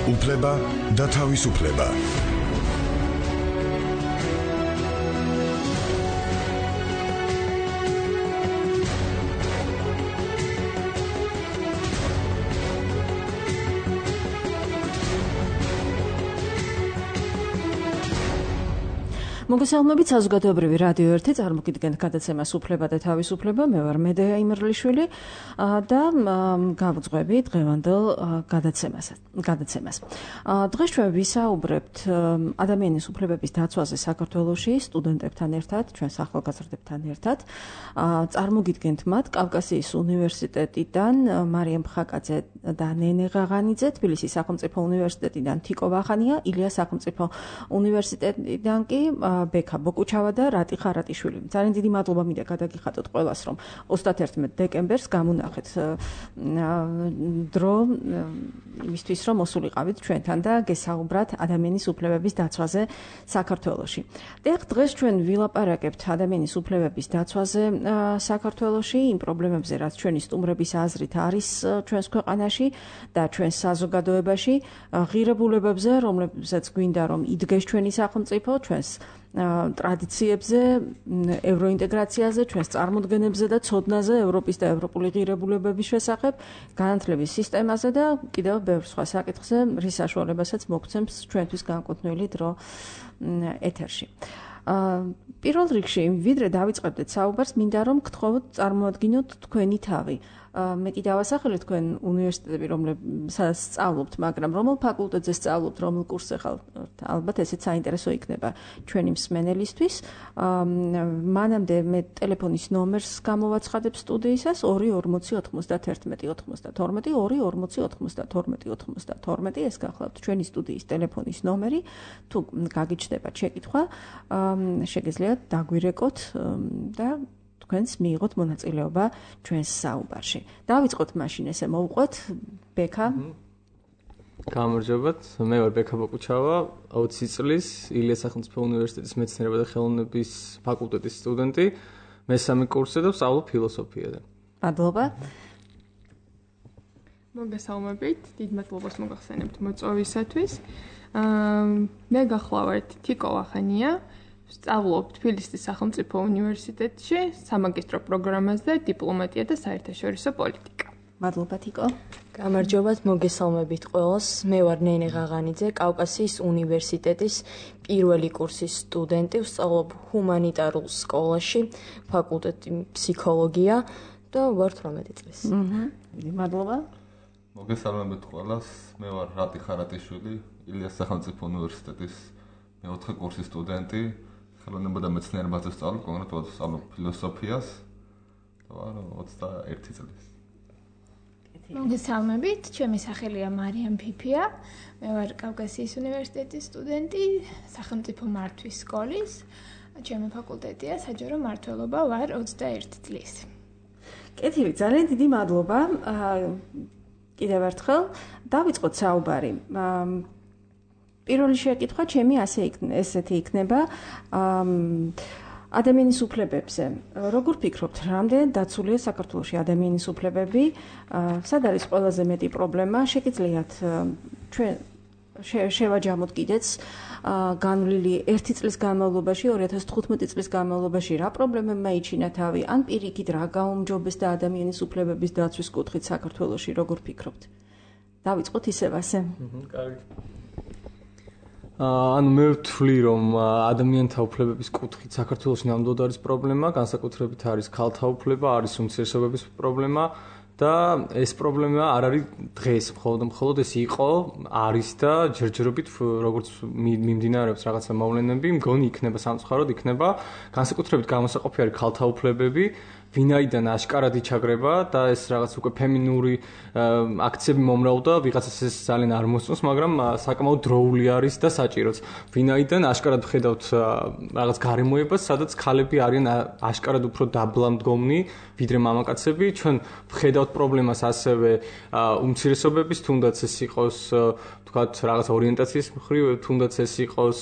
უფლება და თავისუფლება. მოგესალმებით საზოგადოებრივი რადიო 1 წარმოგიდგენთ გადაცემას უფლება და თავისუფლება. მე ვარ მედეა იმერლიშვილი და გავუძღვები დღევანდელ გადაცემას. დღეს ჩვენ ვისაუბრებთ ადამიანის უფლებების დაცვაზე საქართველოში სტუდენტებთან ერთად, ჩვენს ახალგაზრდებთან ერთად. წარმოგიდგენთ მათ კავკასიის უნივერსიტეტიდან მარიამ ხაკაძე და ნენე ღაღანიძე, თბილისის სახელმწიფო უნივერსიტეტიდან თიკო ვახანია, ილიას სახელმწიფო უნივერსიტეტიდან კი ბექა ბოკუჩავა და რატი ხარატიშვილი. ძალიან დიდი მადლობა მინდა გადაგიხადოთ ყველას, რომ 31 დეკემბერს გამონახეთ დრო იმისთვის, რომ მოსულიყავით ჩვენთან და გესაუბრათ ადამიანის უფლებების დაცვაზე საქართველოში. დღეს ჩვენ ვილაპარაკებთ ადამიანის უფლებების დაცვაზე საქართველოში, იმ პრობლემებზე, რაც ჩვენი სტუმრების აზრით არის ჩვენს ქვეყანაში და ჩვენს საზოგადოებაში, ღირებულებებზე, რომლებზეც გვინდა რომ იდგეს ჩვენი სახელმწიფო, ჩვენს ტრადიციებზე, ევროინტეგრაციაზე, ჩვენს წარმოდგენებზე და ცოდნაზე ევროპის და ევროპული ღირებულებების შესახებ, განათლების სისტემაზე და კიდევ ბევრ სხვა საკითხზე, რის საშუალებასაც მოგცემს ჩვენთვის განკუთვნილი დრო ეთერში. პირველ რიგში, ვიდრე დავიწყებდეთ საუბარს, მინდა რომ გთხოვოთ წარმოადგინოთ თქვენი თავი. მე კი დავასახელე თქვენ უნივერსიტეტები, რომელსაც სწავლობთ, მაგრამ რომელ ფაკულტეტზე სწავლობთ, რომელ კურსზე ხართ, ალბათ ესეც საინტერესო იქნება ჩვენი მსმენელისთვის. მანამდე მე ტელეფონის ნომერს გამოვაცხადებ სტუდიისას 2409192 24092 ეს გახლავთ ჩვენი სტუდიის ტელეფონის ნომერი. თუ გაგიჩნდებათ შეკითხვა, შეგიძლიათ დაგვირეკოთ და თქვენს მიიღოთ მონაწილეობა ჩვენს საუბარში. დავიწყოთ მაშინ ესე მოვუყვეთ ბექა. გამარჯობათ, მე ვარ ბექა ბოკუჩავა, 20 წლის ილიას სახელმწიფო უნივერსიტეტის მეცნიერება და ხელოვნების ფაკულტეტის სტუდენტი, მესამე კურსზე და ვსწავლობ ფილოსოფიაზე. მადლობა. მოგესალმებით, დიდ მადლობას მოგახსენებთ მოწვევისათვის. მე გახლავართ თიკო ვახანია. ვსწავლობ თბილისის სახელმწიფო უნივერსიტეტში სამაგისტრო პროგრამაზე დიპლომატია და საერთაშორისო პოლიტიკა. მადლობა თიკო. გამარჯობათ, მოგესალმებით ყველას. მე ვარ ნენე ღაღანიძე, კავკასიის უნივერსიტეტის პირველი კურსის სტუდენტი, ვსწავლობ ჰუმანიტარულ სკოლაში, ფაკულტეტი ფსიქოლოგია და ვარ 18 წლის. მადლობა. მოგესალმებით ყველას. მე ვარ რატი ხარატიშვილი, ილიას სახელმწიფო უნივერსიტეტის მეოთხე კურსის სტუდენტი. ხელოვნება და მეცნიერებაზე ვსწავლობ, კონკრეტულად ვსწავლობ ფილოსოფიას და ვარ 21 წლის. მოგესალმებით, ჩემი სახელია მარიამ ფიფია. მე ვარ კავკასიის უნივერსიტეტის სტუდენტი, სახელმწიფო მართვის სკოლის. ჩემი ფაკულტეტია საჯარო მმართველობა, ვარ 21 წლის. კეთილი, ძალიან დიდი მადლობა. კიდევ ერთხელ დავიწყოთ საუბარი. პირველი შეკითხვა ჩემი ესეთი იქნება ადამიანის უფლებებზე. როგორ ფიქრობთ, რამდენად დაცულია საქართველოში ადამიანის უფლებები? სად არის ყველაზე მეტი პრობლემა? შეგიძლიათ ჩვენ შევაჯამოთ კიდეც განვლილი 1 წლის განმავლობაში, 2015 წლის განმავლობაში რა პრობლემებმა იჩინა თავი, ან პირიქით რა გაუმჯობესდა ადამიანის უფლებების დაცვის კუთხით საქართველოში, როგორ ფიქრობთ? დავიწყოთ ისევ ასე. კარგი. ანუ მე ვთვლი, რომ ადამიანთა უფლებების კუთხით საქართველოში ნამდვილად არის პრობლემა, განსაკუთრებით არის ქალთა უფლება, არის უმცირესობების პრობლემა და ეს პრობლემა არ არის დღეს, მხოლოდ ეს იყო, არის და ჯერჯერობით როგორც მიმდინარეობს რაღაცა მოვლენები, მგონი იქნება სამწუხაროდ, იქნება განსაკუთრებით გამოსაყოფი არის ქალთა უფლებები, ვინაიდან აშკარად იჩაგრება და ეს რაღაც უკვე ფემინური აქციები მომრავლდა, ვიღაცას ეს ძალიან არ მოსწონს, მაგრამ საკმაოდ დროული არის და საჭიროც. ვინაიდან აშკარად ვხედავთ რაღაც გარემოებას, სადაც ქალები არიან აშკარად უფრო დაბლამდგომნი, ვიდრე მამაკაცები. ჩვენ ვხედავთ პრობლემას ასევე უმცირესობების, თუნდაც ეს იყოს თქვათ რაღაც ორიენტაციის მხრივ, თუნდაც ეს იყოს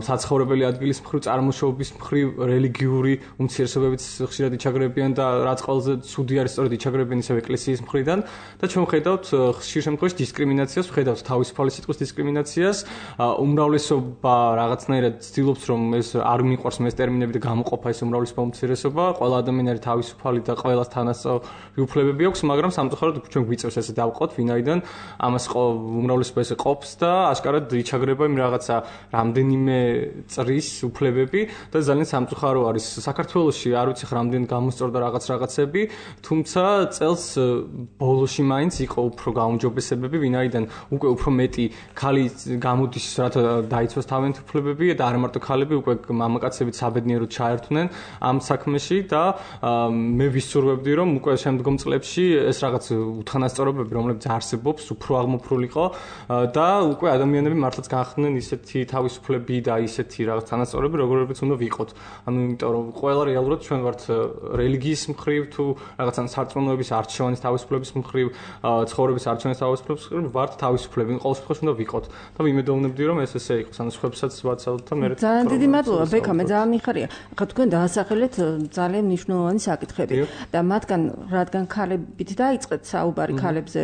საცხოვრებელი ადგილის მხრივ, წარმოშობის მხრივ, რელიგიური უმცირესობებიც ხშირად იჩაგრებიან და რაც ყველაზე ცუდი არის სწორედ იჩაგრებიან ისევ ეკლესიის მხრიდან და ჩვენ ვხედავთ ხშირ შემთხვევაში დისკრიმინაციას, ვხედავთ თავისუფალი სიტყვის დისკრიმინაციას, უმრავლესობა რაღაცნაირად ცდილობს რომ ეს არ მიყვარს ეს ტერმინები და გამოყოფა ეს უმრავლესობა უმცირესობა, ყველა ადამიანი არის თავისუფალი და ყველას თანასწორი უფლებები აქვს, მაგრამ სამწუხაროდ ჩვენ გვიწევს ესე დავყოთ, ვინაიდან ამას უმრავლესობა ესე ყოფს და აშკარად იჩაგრება იმ რაღაცა რამდენიმე წრის უფლებები და ძალიან სამწუხარო არის საქართველოში არ ვიცი რამდენი გამოსწორდა რაღაცები, თუმცა წელს ბოლოში მაინც იყო უფრო გაუმჯობესებები, ვინაიდან უკვე უფრო მეტი ქალი გამოდის, რათა დაიცვას თავიანთი უფლებები და არ მარტო ქალები, უკვე მამაკაცებიც საბედნიეროდ ჩაერთვნენ ამ საქმეში და მე ვისურვებდი რომ უკვე შემდგომ წლებში ეს რაღაც უთანასწორობები, რომლებიც არსებობს, უფრო აღმოფხვრილიყო და უკვე ადამიანები მართლაც განხდნენ ისეთი თავისუფლები და ისეთი რაღაც თანასწორები, როგორებიც უნდა ვიყოთ. ანუ იმიტომ რომ ყველა რეალურად ჩვენ ვართ რელიგიის მხრივ თუ რაღაცა სარწმუნოების არჩევანის თავისუფლების მხრივ, ცხოვრების არჩევანის თავისუფლების მხრივ ვართ თავისუფლები, ყოველ შემთხვევაში უნდა ვიყოთ. და ვიმედოვნებდი რომ ეს ესე იყოს, ანუ სხვებსაც ვაცალოთ და მე ძალიან დიდი მადლობა ბექა, მე ძალიან მიხარია. ახლა თქვენ დაასახელეთ ძალიან მნიშვნელოვანი საკითხები და მათგან რადგან ქალებით დაიწყეთ საუბარი ქალებზე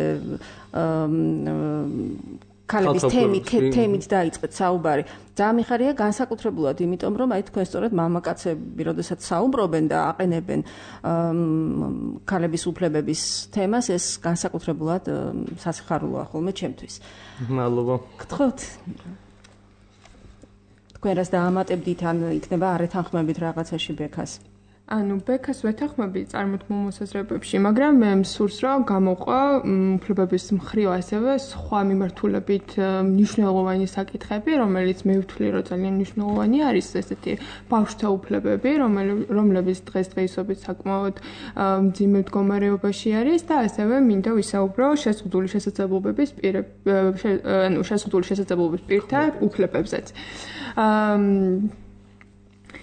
ქალების თემით დაიწყეთ საუბარი. ძალიან მიხარია განსაკუთრებულად, იმიტომ რომ აი თქვენ სწორედ მამაკაცები, როდესაც საუბრობენ და აყენებენ ქალების უფლებების თემას, ეს განსაკუთრებულად სასიხარულოა ხოლმე ჩემთვის. მადლობა. გთხოვთ. თქვენ რას დაამატებდით, ან იქნება არ ეთანხმებით რაღაცაში ბექას? ანუ ბექას ვეთანხმები წარმოთქმულ მოსაზრებებში, მაგრამ მე მსურს რომ გამოყვა უფლებების მხრივ ასევე სხვა მიმართულებით მნიშვნელოვანი საკითხები, რომელიც მე ვთვლი რომ ძალიან მნიშვნელოვანი არის, ესეთი ბავშვთა უფლებები, რომლებიც დღესდღეობით საკმაოდ მძიმე მდგომარეობაში არის და ასევე მინდა ვისაუბრო შეზღუდული შესაძლებლობების პირთა უფლებებზეც.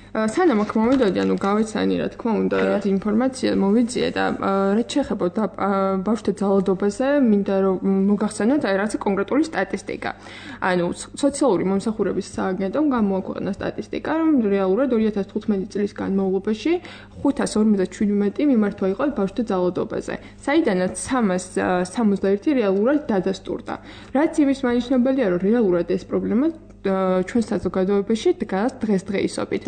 სანამ აქ მოვიდოდი, ანუ გავეცანი რა თქმა უნდა ინფორმაცია მოვიძიე და რაც შეეხება ბავშვთა ძალადობაზე, მინდა რომ მოგახსენოთ აი რაღაც კონკრეტული სტატისტიკა. ანუ სოციალური მომსახურების სააგენტომ გამოაქვეყნა სტატისტიკა, რომ რეალურად 2015 წლის განმავლობაში 557 მიმართვა იყო ბავშვთა ძალადობაზე, საიდანაც 361 რეალურად დადასტურდა. რაც იმის მანიშნებელია, რომ რეალურად ეს პრობლემა ჩვენ საზოგადოებაში დგას დღესდღეობით.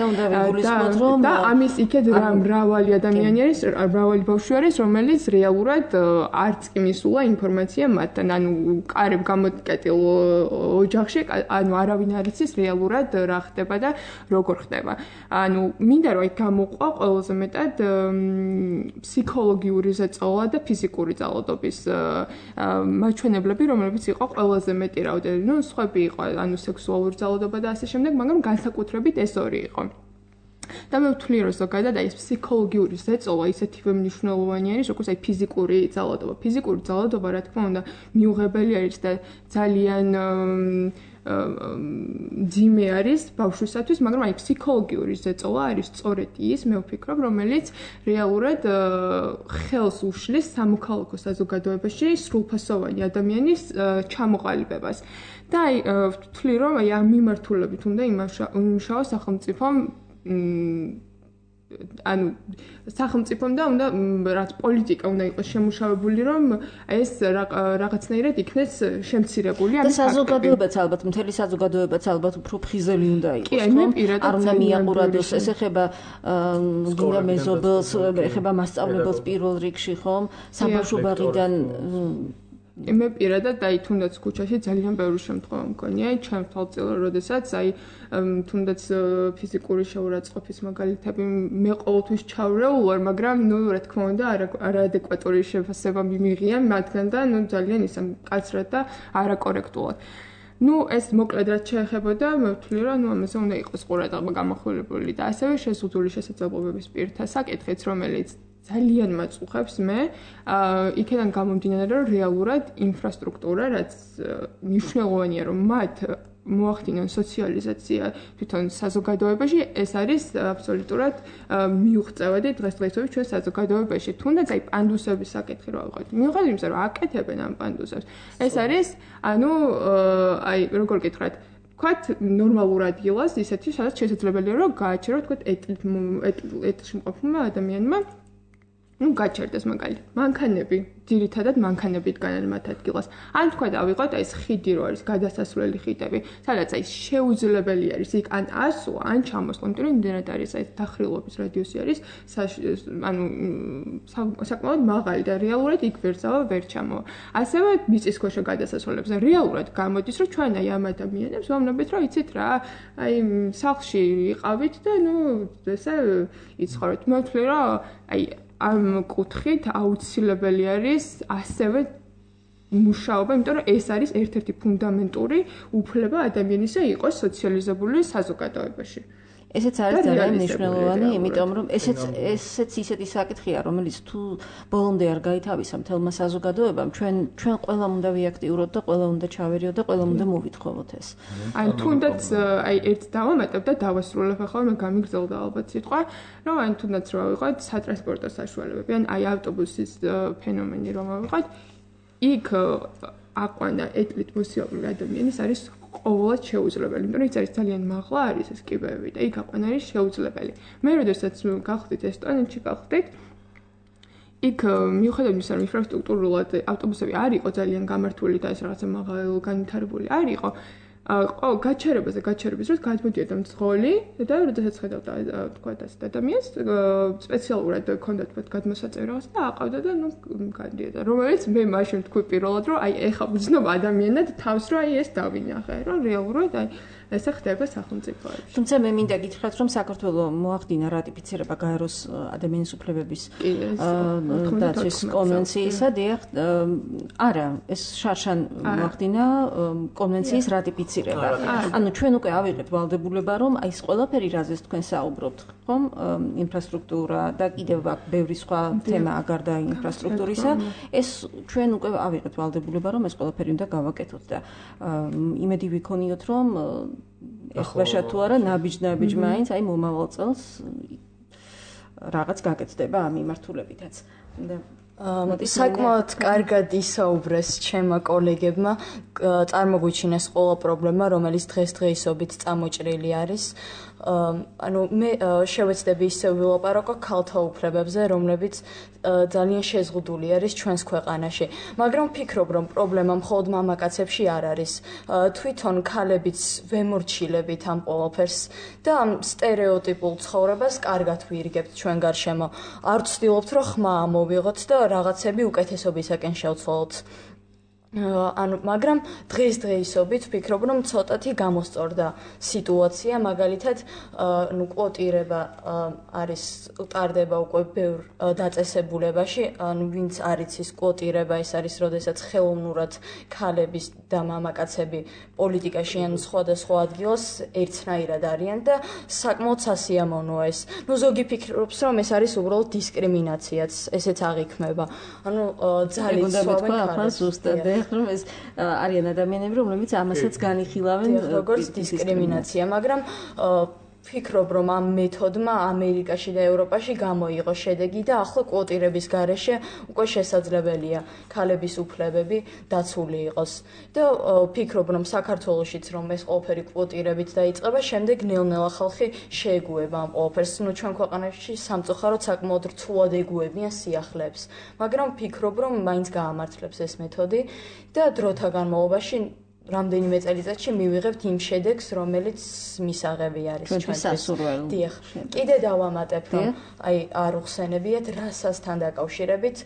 და ამის იქეთ მრავალი ადამიანი არის, მრავალი ბავშვი არის, რომელიც რეალურად არც კი მისულა ინფორმაცია მათთან, ანუ კარებ გამოკეტილ ოჯახში, ანუ არავინ არ იცის რეალურად რა ხდება და როგორ ხდება. ანუ მინდა რომ აი გამოყვა ყველაზე მეტად ფსიქოლოგიური ზეწოლა და ფიზიკური ძალადობის მაჩვენებლები, რომლებიც იყო ყველაზე მეტი რაოდენობით, ну, სხვები იყო, ანუ სექსუალური ძალადობა და ასე შემდეგ, მაგრამ განსაკუთრებით ეს ორი იყო. და მე ვთვლი რომ ზოგადად აი ეს ფსიქოლოგიური ზეწოლა ისეთივე მნიშვნელოვანი არის, როგორც აი ფიზიკური ძალადობა. ფიზიკური ძალადობა, რა თქმა უნდა, მიუღებელი არის და ძალიან ძიმე არის ბავშვისათვის, მაგრამ აი ფსიქოლოგიური ზეწოლა არის სწორედ ის, მე ვფიქრობ, რომელიც რეალურად ხელს უშლის სამოქალაქო საზოგადოებაში სრულფასოვანი ადამიანის ჩამოყალიბებას. და აი ვთვლი რომ აი ამ მიმართულებით უნდა იმუშაოს სახელმწიფომ ანუ სახელმწიფომ და უნდა რაც პოლიტიკა უნდა იყოს შემუშავებული, რომ ეს რაღაცნაირად იქნეს შემცირებული ამის ფაქტები. და საზოგადოებაც ალბათ, მთელი საზოგადოებაც ალბათ უფრო ფხიზელი უნდა იყოს, ხო? არ უნდა მიაყურადოს, ეს ეხება გინდა მეზობელს, ეხება მასწავლებელს პირველ რიგში, ხომ? საბავშვო ბაღიდან მე პირადად აი თუნდაც ქუჩაში ძალიან ბევრი შემთხვევა მქონია, ჩემ თვალწილად, როდესაც აი თუნდაც ფიზიკური შეურაცხყოფის მაგალითები მე ყოველთვის ჩავრეულ ვარ, მაგრამ ნუ რა თქმა უნდა არაადეკვატური შეფასება მიმიღია მათგან და ნუ ძალიან ისე მკაცრად და არაკორექტულად. ну ეს მოკლედ რაც შეეხებოდა, მე ვთვლი რომ ნუ ამაზე უნდა იყოს ყურადღება გამახვილებული და ასევე შეზღუდული შესაძლებლობების პირთა საკითხიც, რომელიც ძალიან მაწუხებს მე, იქიდან გამომდინარე, რომ რეალურად ინფრასტრუქტურა, რაც მნიშვნელოვანია, რომ მათ მოახდინონ სოციალიზაცია თვითონ საზოგადოებაში, ეს არის აბსოლუტურად მიუღწევადი დღესდღეობით ჩვენ საზოგადოებაში. თუნდაც აი პანდუსების საკითხი რა ვიყავით. მიუხედავად იმისა, რომ აკეთებენ ამ პანდუსებს, ეს არის, ანუ აი როგორ გითხრათ, ვთქვათ, ნორმალურ ადგილას, ისეთი, სადაც შესაძლებელია რომ გააჩერო, ვთქვათ, ეტლში მყოფმა ადამიანმა გაჩერდეს მაგალითად. მანქანები, ძირითადად მანქანებით განან მათ ადგილას. ან თქვა დავიღოთ ეს ხიდი რო არის გადასასვლელი ხიდები, სადაც აი შეუძლებელი არის იქ ან ასვლა, ან ჩამოსვლა, იმიტომ რომ იმდენად არის აი დახრილობის რადიუსი არის, ანუ საკმაოდ მაღალი და რეალურად იქ ვერცავა ვერ ჩამოვა. ასევე მიწისქვეშა გადასასვლელებზე რეალურად გამოდის, რომ ჩვენ აი ამ ადამიანებს ვამნობით, რომ იცით რა, აი სახლში იყავით და ესე იცხოვრეთ. მოვთვლი რომ აი ამ კუთხით აუცილებელი არის ასევე მუშაობა, იმიტომ რომ ეს არის ერთ-ერთი ფუნდამენტური უფლება ადამიანისა იყოს სოციალიზებული საზოგადოებაში. ესეც არის ძალიან მნიშვნელოვანი, იმიტომ რომ ესეც ისეთი საკითხია, რომელიც თუ ბოლომდე არ გაითავისა მთელმა საზოგადოებამ, ჩვენ ყველამ უნდა ვიაქტიუროთ და ყველა უნდა ჩავერიოთ და ყველა უნდა მოვითხოვოთ ეს. აი თუნდაც აი ერთ დავამატებ და დავასრულებ ახლა მე გამიგრძელდა ალბათ სიტყვა, რომ აი თუნდაც რა ვიყოთ სატრანსპორტო საშუალებები, ან აი ავტობუსის ფენომენი რომ ვიყოთ, იქ აყვანა ეტლით მოსიარულე ადამიანის არის ყოველად შეუძლებელი, იმიტომ რომ ის არის ძალიან მაღლა არის ეს კიბეები და იქ აყვანა არის შეუძლებელი. მე როდესაც გავხდით ესტონეთში გავხდით, იქ მიუხედავად იმისა, რომ ინფრასტრუქტურულად ავტობუსები არ იყო ძალიან გამართული და ეს რაღაცა მაღალ განვითარებული არ იყო, გაჩერების დროს გადმოდიოდა მძღოლი და როდესაც ხედავდა თქვა და ადამიანს სპეციალურად ჰქონდა თქვა გადმოსაწევი რაღაცა და აყავდა და გადიოდა. რომელიც მე მაშინ თქვი პირველად რომ აი ეხა ვძნობ ადამიანად თავს რომ აი ეს დავინახე, რომ რეალურად აი ესე ხდება სახელმწიფოებში. თუმცა მე მინდა გითხრათ, რომ საქართველოს მოახდინა რატიფიცირება გაეროს ადამიანის უფლებების დაცვის კონვენციისა, დიახ, არა, ეს შარშან მოახდინა კონვენციის რატიფიცირება. ანუ ჩვენ უკვე ავიღეთ ვალდებულება, რომ აი ეს ყველაფერი, რაზეც თქვენ საუბრობთ, ხომ, ინფრასტრუქტურა და კიდევ ბევრი სხვა თემა გარდა ინფრასტრუქტურისა, ეს ჩვენ უკვე ავიღეთ ვალდებულება, რომ ეს ყველაფერი უნდა გავაკეთოთ და იმედი ვიქონიოთ, რომ ეხლაშა თუ არა ნაბიჯ მაინც აი მომავალ წელს რაღაც გაკეთდება ამ მიმართულებითაც. საკმაოდ კარგად ისაუბრეს ჩემმა კოლეგებმა, წარმოგვიჩინეს ყველა პრობლემა, რომელიც დღესდღეობით წამოჭრილი არის. ანუ მე შევეცდები ისე ვილაპარაკო ქალთა უფლებებზე, რომლებიც ძალიან შეზღუდული არის ჩვენს ქვეყანაში. მაგრამ ვფიქრობ, რომ პრობლემა მხოლოდ მამაკაცებში არ არის. თვითონ ქალებიც ვემორჩილებით ამ ყველაფერს და ამ სტერეოტიპულ ცხოვრებას კარგად ვირგებთ ჩვენ გარშემო. არ ვცდილობთ, რომ ხმა ამოვიღოთ და რაღაცები უკეთესობისაკენ შევცვალოთ. მაგრამ დღესდღეობით ვფიქრობ, რომ ცოტათი გამოსწორდა სიტუაცია, მაგალითად, კვოტირება არის ტარდება უკვე ბევრ დაწესებულებაში, ვინც არის ის კვოტირება, ეს არის, როდესაც ხელოვნურად ქალების და მამაკაცები პოლიტიკაში ან სხვადასხვა ადგილას ერთნაირად არიან და საკმაოდ სასიამოვნოა ეს. ზოგი ფიქრობს, რომ ეს არის უბრალოდ დისკრიმინაციაც, ესეც აღიქმება. ძალიან სვავენ რომ ეს არიან ადამიანები, რომლებიც ამასაც განიხილავენ როგორც დისკრიმინაცია, მაგრამ ვფიქრობ, რომ ამ მეთოდმა ამერიკაში და ევროპაში გამოიღო შედეგი და ახლა კვოტირების გარეშე უკვე შესაძლებელია ქალების უფლებები დაცული იყოს. და ვფიქრობ, რომ საქართველოშიც რომ ეს ყველაფერი კვოტირებით დაიწყება, შემდეგ ნელ-ნელა ხალხი შეეგუება ამ ყველაფერს. ჩვენ ქვეყანაში სამწუხაროდ საკმაოდ რთულად ეგუებიან სიახლეებს. მაგრამ ვფიქრობ, რომ მაინც გაამართლებს ეს მეთოდი და დროთა განმავლობაში რამდენიმე წელიწადში მივიღებთ იმ შედეგს, რომელიც მისაღები არის ჩვენთვის. დიახ. კიდე დავამატებ, რომ აი არ უხსენებიათ რასასთან დაკავშირებით,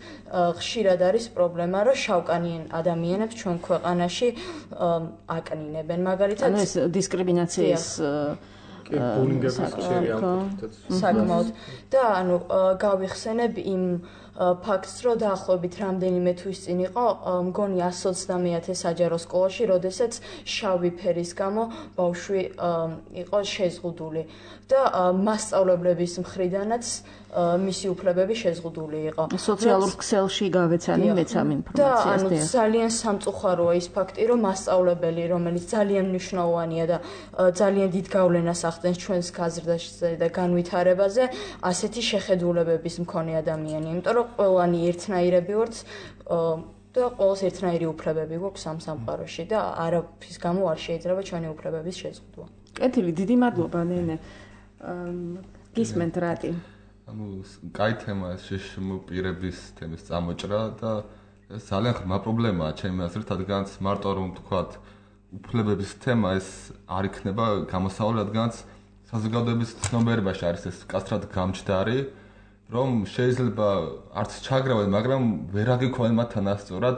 ხშირად არის პრობლემა, რომ შავკანიან ადამიანებს ჩვენ ქვეყანაში აკნინებენ. მაგალითად, ანუ ეს დისკრიმინაციის საკმაოდ და ანუ გავიხსენებ იმ ფაქტს, რომ დაახლოებით რამდენიმე თვის წინ იყო მგონი 120 საჯარო სკოლაში, როდესაც შავი ფერის გამო ბავშვი იყო შეზღუდული და მასწავლებლების მხრიდანაც მისი უფლებები შეზღუდული იყო. სოციალურ ქსელში გავეცანი მეც ამ ინფორმაციას. და ძალიან სამწუხაროა ის ფაქტი, რომ მასწავლებელი, რომელიც ძალიან მნიშვნელოვანია და ძალიან დიდ გავლენას ახდენს ჩვენს გაზრდაზე და განვითარებაზე, ასეთი შეხედულებების მქონე ადამიანია. იმიტომ რომ ყველანი ერთნაირები ვართ, და ყოველს ერთნაირი უფლებები გვაქვს ამ სამყაროში და არაფრის გამო არ შეიძლება ჩვენი უფლებების შეზღუდვა. კეთილი, დიდი მადლობა ნენე. გისმენთ რატი? კაი თემა ეს შშმ პირების თემის წამოჭრა და ეს ძალიან ღრმა პრობლემაა ჩემი აზრით, რადგანაც მარტო რომ თქვათ უფლებების თემა ეს არ იქნება გამოსავალი, რადგანაც საზოგადოების ცნობიერებაში არის ეს კასტრად გამჯდარი, რომ შეიძლება არც ჩაგრავენ, მაგრამ ვერ აგიქვენ მათ თანასწორად,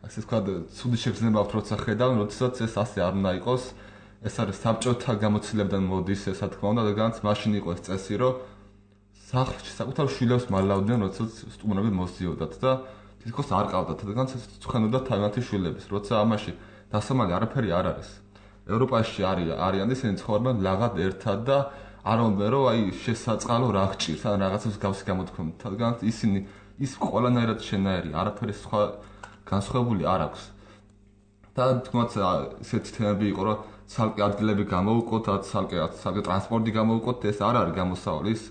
ასე ვთქვათ, ცუდი შეგრძნება აქვს როცა ხედავენ, როდესაც ეს ასე არ უნდა იყოს. ეს არის საბჭოთა გამოცდილებიდან მოდის ესა თქმა უნდა, რადგანაც მაშინ იყო ეს წესი, რომ სახლში საკუთარ შვილებს მალავდნენ, როდესაც სტუმრები მოსდიოდათ და თითქოს არ ყავდათ, რადგანაც ეს ცხენოდა თავიანთი შვილების, როცა ამაში დასამალი არაფერი არ არის. ევროპაში არიან ისინი ცხოვრობენ ლაღად ერთად და არ უნდა რომ აი შესაწყალო რა გჭირს ან რაღაცას გავსი გამოთქვამთ, რადგან ისინი ის ყველანაირად შენაერი, არაფერი სხვა განსხვავებული არ აქვს. და თქოს ესეთი თემები იყო, რომ ცალკე ადგილები გამოვუყოთ, ცალკე ტრანსპორტი გამოვუყოთ, ეს არ არის გამოსავალი, ის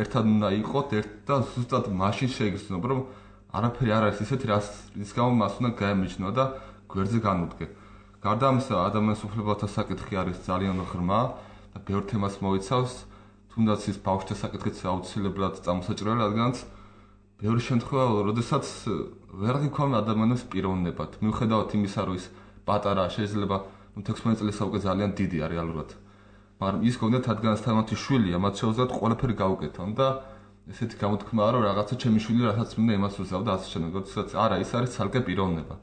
ერთად უნდა იყოთ, და ზუსტად მაშინ შეიგრძნოთ, რომ არაფერი არ არის ისეთი, რის გამო მას უნდა გაემიჯნო და გვერდზე განუდგე. გარდა ამისა, ადამიანის უფლებათა საკითხი არის ძალიან ღრმა და ბევრ თემას მოიცავს, თუნდაც ის ბავშვთა საკითხიც აუცილებლად წამოსაჭრელი, რადგანაც ბევრი შემთხვევა, როდესაც ვერ გიქვამენ ადამიანებს პიროვნებად. მიუხედავად იმისა, რომ ის პატარა შეიძლება 16 წლის უკვე ძალიან დიდია რეალურად. მაგრამ ის გონდათ, რადგანაც თავიანთი შვილია, მათ შეუძლიათ ყველაფერი გაუკეთონ და ესეთი გამოთქმაა, რომ რაღაცა ჩემი შვილი რასაც მინდა იმას უზავ და ასე შემდეგ. როდესაც არა, ის არის ცალკე პიროვნება.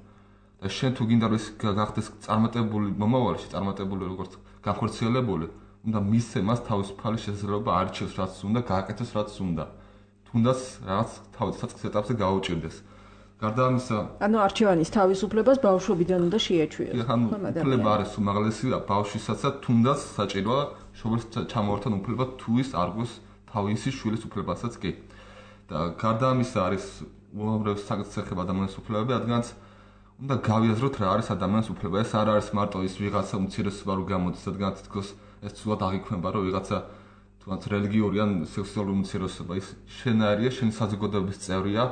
და შენ თუ გინდა რომ ის გახდეს წარმატებული მომავალში, წარმატებული როგორც განხორციელებული, უნდა მისცე მას თავისუფალი შესაძლებლობა არჩევს რაც უნდა, გააკეთოს რაც უნდა. თუნდაც რაღაც თავისუფალ ეტაპზე გაუჭირდეს. გარდა ამისა, ანუ არჩევანის თავისუფლებას ბავშვობიდან უნდა შეეჩვიოს. უფლება არის უმაღლესი ბავშვისაცაც, თუნდაც საჭიროა შობლის ჩამოვარდნან უფლება თუ ის არ გვს თავისი შვილის უფლებასაც კი. და გარდა ამისა არის უამრავი საკითხი ეხება ადამიანის უფლებები, რადგანაც უნდა გავიაზროთ რა არის ადამიანის უფლება. ეს არ არის მარტო ის ვიღაცა უმცირესობა რო გამოდის, რადგანაც თქოს ეს ცუდად აღიქვება, რომ ვიღაცა თუნდაც რელიგიური ან სექსუალური უმცირესობა ის შენაერია, შენი საზოგადოების წევრია,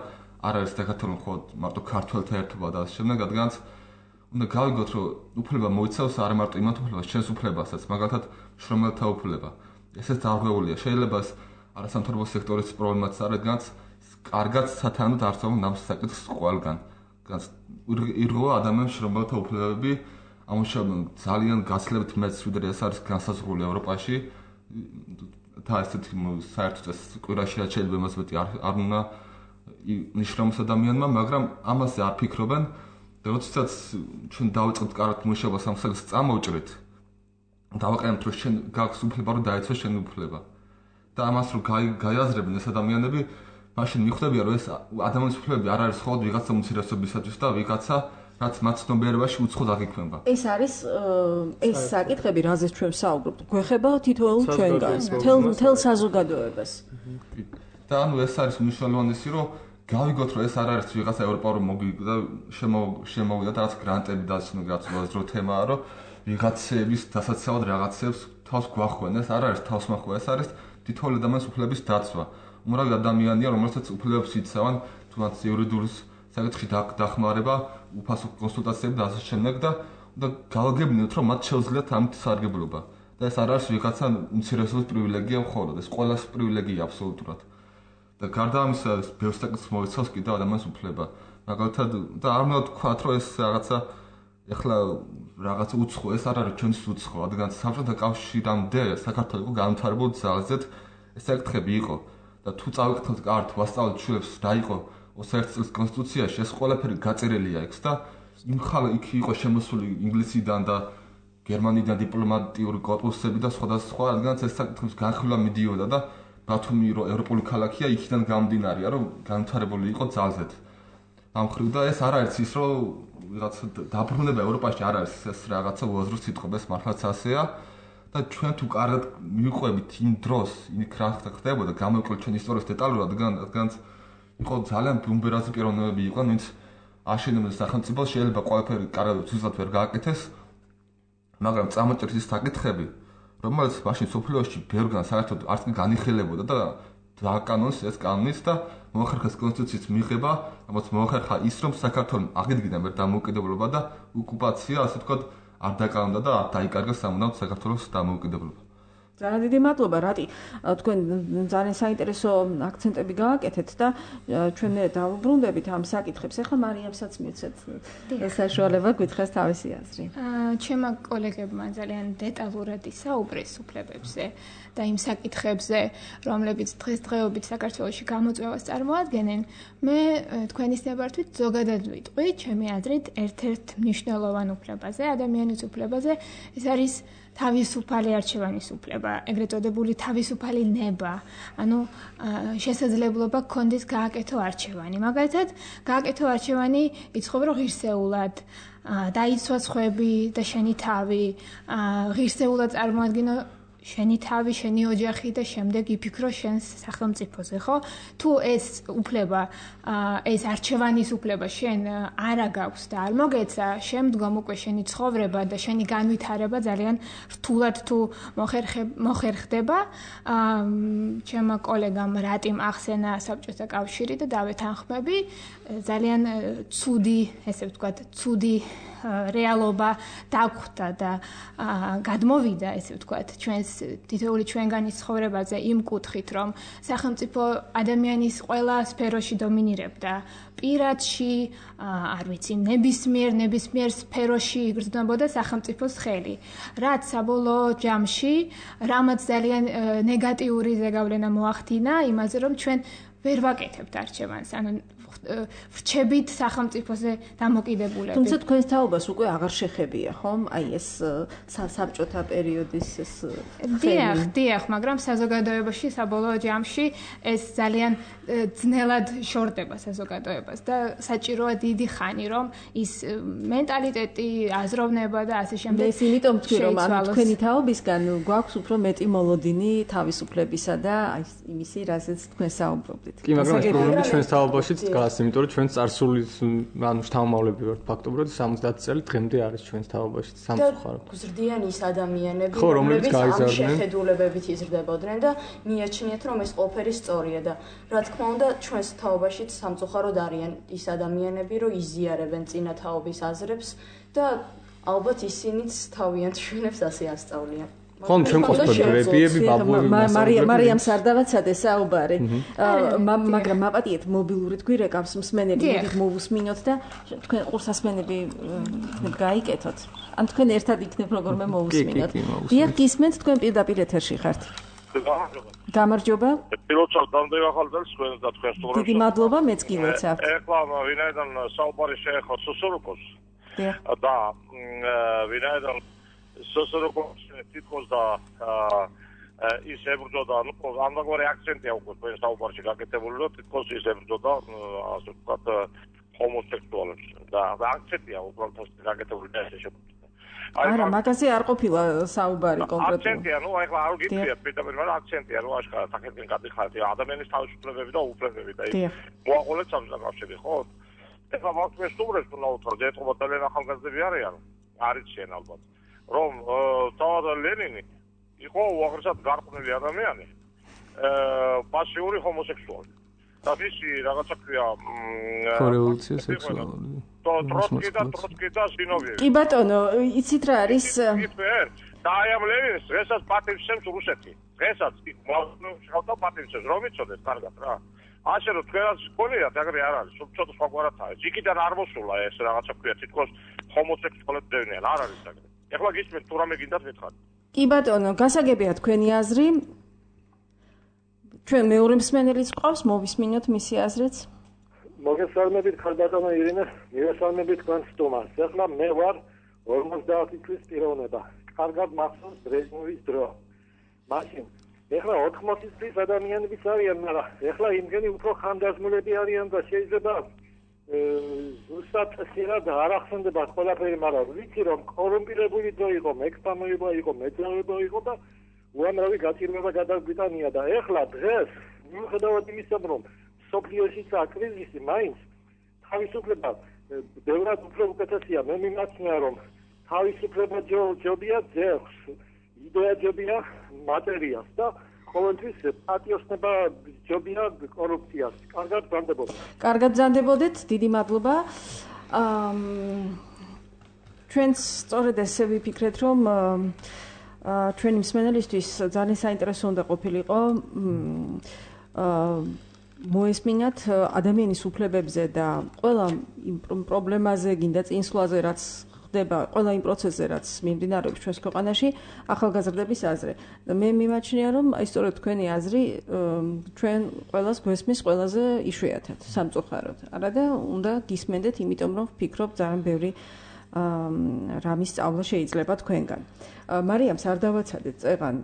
არ არის დაკათოლო მხოლოდ მარტო ქართველთა ერთობა და ასე შემდეგ, რადგანაც უნდა გავიგოთ, რომ უფლება მოიცავს არა მარტო იმათ უფლებას, შენს უფლებასაც, მაგალითად შრომელთა უფლება. ესეც დარღვეულია. შეიძლება ეს არასამთავრობო სექტორის პრობლემაც არის, რადგანაც კარგად სათანადოდ არსებობს ამ საკითხს ყველგან. ირღვევა ადამიანის შრომელთა უფლებები, ამუშავებენ ძალიან გაცილებით მეტს, ვიდრე ეს არის განსაზღვრული ევროპაში. და ესეთი საერთოდ ეს კვირაში რაც შეიძლება იმას მეტი არ უნდა ნიშნავს ადამიანმა, მაგრამ ამაზე არ ფიქრობენ. და როდესაც ჩვენ დავიწყებთ კარგად მუშაობას ამ საკითხს წამოვჭრით, დავაყენებთ რომ შენ გაქვს უფლება რომ დაიცვას შენი უფლება. და ამას რომ გაიაზრებენ ეს ადამიანები, მაშინ მიხვდებიან რომ ეს ადამიანის უფლებები არ არის მხოლოდ ვიღაცა უმცირესობისათვის და ვიღაცა რაც მათ ცნობიერებაში უცხოდ აღიქვება. ეს არის ეს საკითხები, რაზეც ჩვენ ვსაუბრობთ, გვეხება თითოეულ ჩვენგანს, მთელ საზოგადოებას. და ანუ ეს არის მნიშვნელოვანი, რომ გავიგოთ, რომ ეს არ არის ვიღაცა ევროპაში მოგიგდა შემოვიდა და რაც გრანტები და რაც უაზრო თემაა, რომ ვიღაცების დასაცავად რაღაცებს თავს გვახვენ, ეს არ არის თავსმახვა, ეს არის თითოეული ადამიანის უფლების დაცვა. უმრავი ადამიანია, რომელსაც უფლებებს იცავენ, თუნდაც იურიდიული საკითხი დახმარება, უფასო კონსულტაციები და ასე შემდეგ და გავაგებინოთ, რომ მათ შეუძლიათ ამით სარგებლობა. და ეს არ არის ვიღაცა უმცირესობის პრივილეგია მხოლოდ, ეს ყველას პრივილეგია აბსოლუტურად. და გარდა ამისა, ბევრ საკითხს მოიცავს კიდევ ადამიანის უფლება. მაგალითად, და არ უნდა თქვათ, რომ ეს რაღაცა ეხლა რაღაცა უცხო, ეს არ არის ჩვენს უცხო, რადგან საბჭოთა კავშირამდე საქართველოს იყო განვითარებული ძალზედ ეს საკითხები იყო. და თუ წავიკითხოთ კართ, ვასწავლეთ შვილებს რა იყო 21 წლის კონსტიტუციაში, ეს ყველაფერი გაწერილია იქ და იქ იყო შემოსული ინგლისიდან და გერმანიდან დიპლომატიური კორპუსები და სხვადასხვა, რადგანაც ეს საკითხის განხილვა მიდიოდა და ბათუმი რო ევროპული ქალაქია, იქიდან გამომდინარეა, რომ განვითარებული იყო ძალზედ. ამ ხრივ და ეს არ არის ის, რომ ვიღაც დაბრუნება ევროპაში არ არის ეს რაღაცა უაზრო სიტყვა, ეს მართლაც ასეა. და ჩვენ თუ კარგად მივყვებით იმ დროს, იქ რა ხდებოდა, გამოვიკლოთ ჩვენ ისტორიის დეტალურად, რადგანაც იყო ძალიან ბუმბერაზი პიროვნებები იყვნენ, ვინც აშენებდნენ სახელმწიფოს, შეიძლება ყველაფერი კარგად ზუსტად ვერ გააკეთეს, მაგრამ წამოჭრეს ის საკითხები, რომელიც მაშინ სოფლიოში ბევრგან საერთოდ არც კი განიხილებოდა და კანონს ეს კანონის და მოახერხეს კონსტიტუციის მიღება, რამაც მოახერხა ის, რომ საქართველოს აღიდგინა մեր დამოუკიდებლობა და ოკუპაცია, ასე ვთქვათ, არ დაკარგა და არ დაიკარგა სამუდამოდ საქართველოს დამოუკიდებლობა. ძალიან დიდი მადლობა, რატი. თქვენ ძალიან საინტერესო აქცენტები გააკეთეთ და ჩვენ დავუბრუნდებით ამ საკითხებს. ახლა მარიამსაც მიცეთ საშუალება გითხრას თავისი აზრი. ჩემმა კოლეგებმა ძალიან დეტალურად ისაუბრეს უფლებებზე და იმ საკითხებზე, რომლებიც დღესდღეობით საქართველოში გამოწვევას წარმოადგენენ. მე თქვენის ნებართვით ზოგადად ვიტყვი, ჩემი აზრით, ერთ-ერთ მნიშვნელოვან უფლებაზე, ადამიანის უფლებაზე, ეს არის თავისუფალი არჩევანის უფლება, ეგრეთ წოდებული თავისუფალი ნება, ანუ შესაძლებლობა გქონდეს გააკეთო არჩევანი. მაგალითად, გააკეთო არჩევანი იცხოვრო ღირსეულად, დაიცვა სხვები და შენი თავი, ღირსეულად წარმოადგინო შენი თავი, შენი ოჯახი და შემდეგ იფიქრო შენს სახელმწიფოზე, ხო? თუ ეს უფლება, ეს არჩევანის უფლება შენ არა გაქვს და არ მოგეცა, შემდგომ უკვე შენი ცხოვრება და შენი განვითარება ძალიან რთულად თუ მოხერხდება. ჩემმა კოლეგამ რატიმ ახსენა საბჭოთა კავშირი და დავეთანხმები, ძალიან ცუდი, ესე ვთქვათ, ცუდი რეალობა დაგვხვდა და გადმოვიდა, ესე ვთქვათ, ჩვენს თითოეული ჩვენგანი ცხოვრებაზე იმ კუთხით, რომ სახელმწიფო ადამიანის ყველა სფეროში დომინირებდა. პირადში, არ ვიცი, ნებისმიერ სფეროში იგრძნობოდა სახელმწიფოს ხელი. რაც საბოლოო ჯამში, რამაც ძალიან ნეგატიური ზეგავლენა მოახდინა იმაზე, რომ ჩვენ ვერ ვაკეთებთ არჩევანს, ანუ ვრჩებით სახელმწიფოზე დამოკიდებულებით. თუმცა თქვენს თაობას უკვე აღარ შეხებია, ხომ? აი ეს საბჭოთა პერიოდის ეს დიახ, მაგრამ საზოგადოებაში საბოლოო ჯამში ეს ძალიან ძნელად შორდება საზოგადოებას და საჭიროა დიდი ხანი, რომ ის მენტალიტეტი, აზროვნება და ასე შემდეგ. ეს იმიტომ თქვი, რომ თქვენი თაობისგან გვაქვს უფრო მეტი მოლოდინი თავისუფლებისა და აი იმისი, რასაც თქვენ საუბრობდით. კი, მაგრამ ეს პრობლემა ჩვენს თაობაშიც დგას, იმიტომ რომ ჩვენ წარსული ანუ შთამომავლები ვართ ფაქტობრივად 70 წელი დღემდე არის ჩვენს თაობაში სამწუხაროდ. გზრდიანი ის ადამიანები, რომლებიც ამ შეხედულებებით იზრდებოდნენ და მიაჩნიათ, რომ ეს ყველაფერი სწორია და რა თქმა უნდა, ჩვენს თაობაშიც სამწუხაროდ არიან ის ადამიანები, რომ იზიარებენ წინა თაობის აზრებს და ალბათ ისინიც თავიანთ შვილებს ასე ასწავლიან. ხომ ჩვენ ყოფილი რებიები ბაბუები მარიამ სარდალაცადე საუბარი მაგრამ მაპატიეთ მობილური გვირეკავს მსმენელი მოდით მოვუსმინოთ და თქვენ ყურსასმენები იქნებ გაიკეთოთ ან თქვენ ერთად იქნებ როგორმე მოვუსმინოთ დიახ გისმენთ თქვენ პირდაპირ ეთერში ხართ გამარჯობა პილოტად დამდევ ახალწელს თქვენ და თქვენ სტუმრებს დიდი მადლობა მეც კი ვეცავ ეხლა ვინაიდან საუბარი შეეხო სოსოროკოს და ვინაიდან სოსოროკოს თითქოს და ის ებრძოდა, ну, ამდაგარი აქცენტია უკვე თქვენ საუბარში გაკეთებული, რომ თითქოს ის ებრძოდა, ასე ვთქვათ, ჰომოსექსუალებს და აქცენტია უბრალოდ გაკეთებული და ესე შეფუთდა. არა, მაგაზე არ ყოფილა საუბარი კონკრეტულად. აქცენტია, ну, ახლა არ გიწიათ პირდაპირ, მაგრამ აქცენტია, რომ აშკარად საკეთენ გადიხართ ადამიანის თავისუფლებები და უფლებები და ის მოაყოლეთ სამსაკავშირი, ხო? ეხლა მაგას სტუმრებს უნდა უთხრა, ეთყობა ძალიან ახალგაზრდები არიან, არიციან ალბათ. რომ თავად ლენინი იყო უაღრესად გარყვნილი ადამიანი, პასიური ჰომოსექსუალი. და მისი რაღაცა ქვია რევოლუცია სექსუალური. ტროტკი და სინოვიევი. კი ბატონო, იცით რა არის? და აი ამ ლენინს დღესაც პატივცემს რუსეთი. დღესაც მოახდინა პატივცემს, რომ იცოდეთ კარგად რა. ასე რომ თქვენაც გქონიათ, აგრე არ არის, ცოტა სხვაგვარად არის. იქიდან არ მოსულა ეს რაღაცა ქვია, თითქოს ჰომოსექსუალებს დევნიან, არ არის აგრე. ეხლა გისმენთ თუ რამე გინდათ მითხარით. კი ბატონო, გასაგებია თქვენი აზრი. ჩვენ მეორე მსმენელიც ყავს, მოვისმინოთ მისი აზრიც. მოგესალმებით, ხალბატონო ირინე, მივესალმებით თქვენ სტუმარს. ეხლა მე ვარ 50 წლის პიროვნება. კარგად მახსოვს ბრეჟნევის დრო. მაშინ ეხლა 80 წლის ადამიანებიც არიან, მაგრამ ეხლა იმგენი უფრო ხანდაზმულები არიან და შეიძლება ზუსტად შეიძლება არ ახსენდებათ ყველაფერი, მაგრამ ვიცი რომ კორუმპირებული დრო იყო, მექსპამოება იყო, მეძავება იყო და უამრავი გაჭირვება გადაგვიტანია და ეხლა დღეს მიუხედავად იმისა, რომ სოფლიოშიც აქვს კრიზისი, მაინც თავისუფლება ბევრად უფრო უკეთესია. მე მიმაჩნია რომ თავისუფლება ჯობია ძեղს, იდეა ჯობია მატერიას და ყოველთვის პატიოსნება ჯობია კორუფციას. კარგად ბრძანდებოდეთ. კარგად ბრძანდებოდეთ, დიდი მადლობა. ჩვენც სწორედ ესე ვიფიქრეთ, რომ ჩვენი მსმენელისთვის ძალიან საინტერესო უნდა ყოფილიყო მოესმინათ ადამიანის უფლებებზე და ყველა იმ პრობლემაზე, გინდა წინსვლაზე, რაც ხდება, ყველა იმ პროცესზე, რაც მიმდინარეობს ჩვენს ქვეყანაში, ახალგაზრდების აზრი. მე მიმაჩნია, რომ აი სწორედ თქვენი აზრი ჩვენ ყველას გვესმის ყველაზე იშვიათად, სამწუხაროდ. არა და უნდა გისმენდეთ, იმიტომ რომ ვფიქრობ, ძალიან ბევრი რამის სწავლა შეიძლება თქვენგან. მარიამს არ დავაცადეთ წეღან.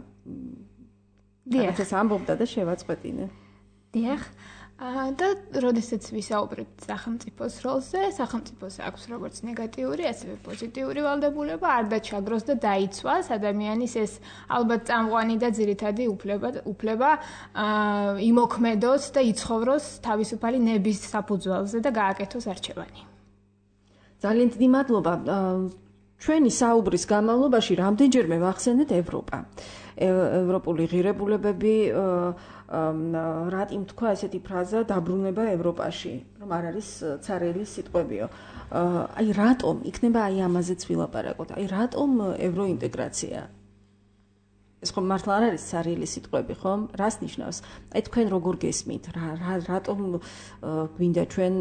დიახ, ეს ამბობდა და შევაწყვეტინე. დიახ. და როდესაც ვისაუბრებთ სახელმწიფოს როლზე, სახელმწიფოს აქვს როგორც ნეგატიური, ასევე პოზიტიური ვალდებულება, არ დაჩაგროს და დაიცვას ადამიანის ეს ალბათ წამყვანი და ძირითადი უფლება იმოქმედოს და იცხოვროს თავისუფალი ნების საფუძველზე და გააკეთოს არჩევანი. ძალიან დიდი მადლობა. ჩვენი საუბრის განმავლობაში რამდენჯერმე ვახსენეთ ევროპა. ევროპული ღირებულებები რატომ თქვა ესეთი ფრაზა დაბრუნება ევროპაში, რომ არ არის ცარიელი სიტყვებიო. აი რატომ იქნება აი ამაზეც ვილაპარაკოთ. აი რატომ ევროინტეგრაცია? ეს ხომ მართლა არ არის ცარიელი სიტყვები, ხომ? რას ნიშნავს? აი თქვენ როგორ გესმით? რატომ გვინდა ჩვენ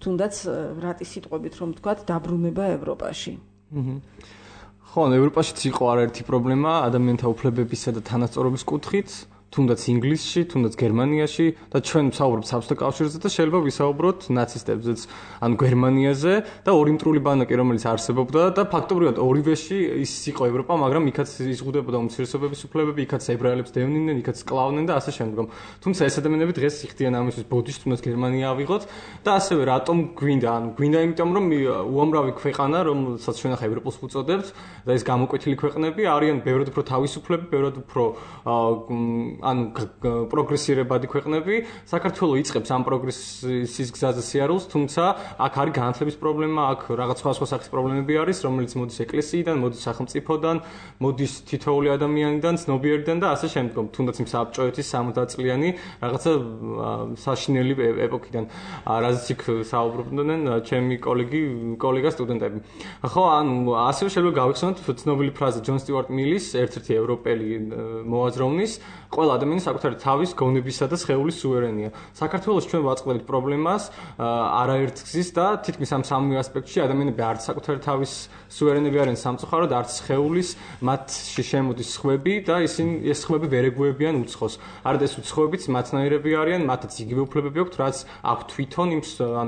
თუნდაც რატი სიტყვებით რომ ვთქვათ დაბრუნება ევროპაში? ხო, ევროპაშიც იყო არაერთი პრობლემა ადამიანთა უფლებებისა და თანასწორობის კუთხით, თუნდაც ინგლისში, თუნდაც გერმანიაში და ჩვენ ვსაუბრობთ საბჭოთა კავშირზე და შეიძლება ვისაუბროთ ნაცისტებზეც, ანუ გერმანიაზე და ორი მტრული ბანაკი, რომელიც არსებობდა და ფაქტობრივად ორივეში ის იყო ევროპა, მაგრამ იქაც იზღუდებოდა უმცირესობების უფლებები, იქაც ებრაელებს დევნიდნენ, იქაც სკლავდნენ და ასე შემდგომ. თუმცა ეს ადამიანები დღეს იხდიან ამისთვის ბოდიშს, თუნდაც გერმანია ავიღოთ და ასევე რატომ გვინდა? ანუ გვინდა იმიტომ, რომ უამრავი ქვეყანა, რომელსაც ჩვენ ახლა ევროპულს ვუწოდებთ და ეს გამოკვეთილი ქვეყნები არიან ბევრად უფრო თავისუფლები, ბევრად უფრო ანუ პროგრესირებადი ქვეყნები, საქართველო იწყებს ამ პროგრესის გზაზე სიარულს, თუმცა აქ არის განათლების პრობლემა, აქ რაღაც სხვა სახის პრობლემები არის, რომელიც მოდის ეკლესიიდან, მოდის სახელმწიფოდან, მოდის თითოეული ადამიანიდან, ცნობიერიდან და ასე შემდგომ, თუნდაც იმ საბჭოეთის 60 წლიანი რაღაცა საშინელი ეპოქიდან, რაზეც იქ საუბრობდნენ ჩემი კოლეგა სტუდენტები. ხო, ანუ ასევე შეიძლება გავიხსენოთ ცნობილი ფრაზა ჯონ სტიუარტ მილის, ერთ-ერთი ევროპელი მოაზროვნის, ყველა ადამიანის საკუთარი თავის გონებისა და სხეულის სუვერენია. საქართველოს ჩვენ ვაწყდებით პრობლემას არაერთ გზის და თითქმის ამ სამივე ასპექტში ადამიანები არც საკუთარი თავის სუვერენები არიან სამწუხაროდ, არც სხეულის, მათში შემოდის სხვები და ისინი ეს სხვები ვერ ეგუებიან უცხოს. არც ეს უცხოებიც მათნაირები არიან, მათაც იგივე უფლებები აქვთ, რაც აქვთ თვითონ იმ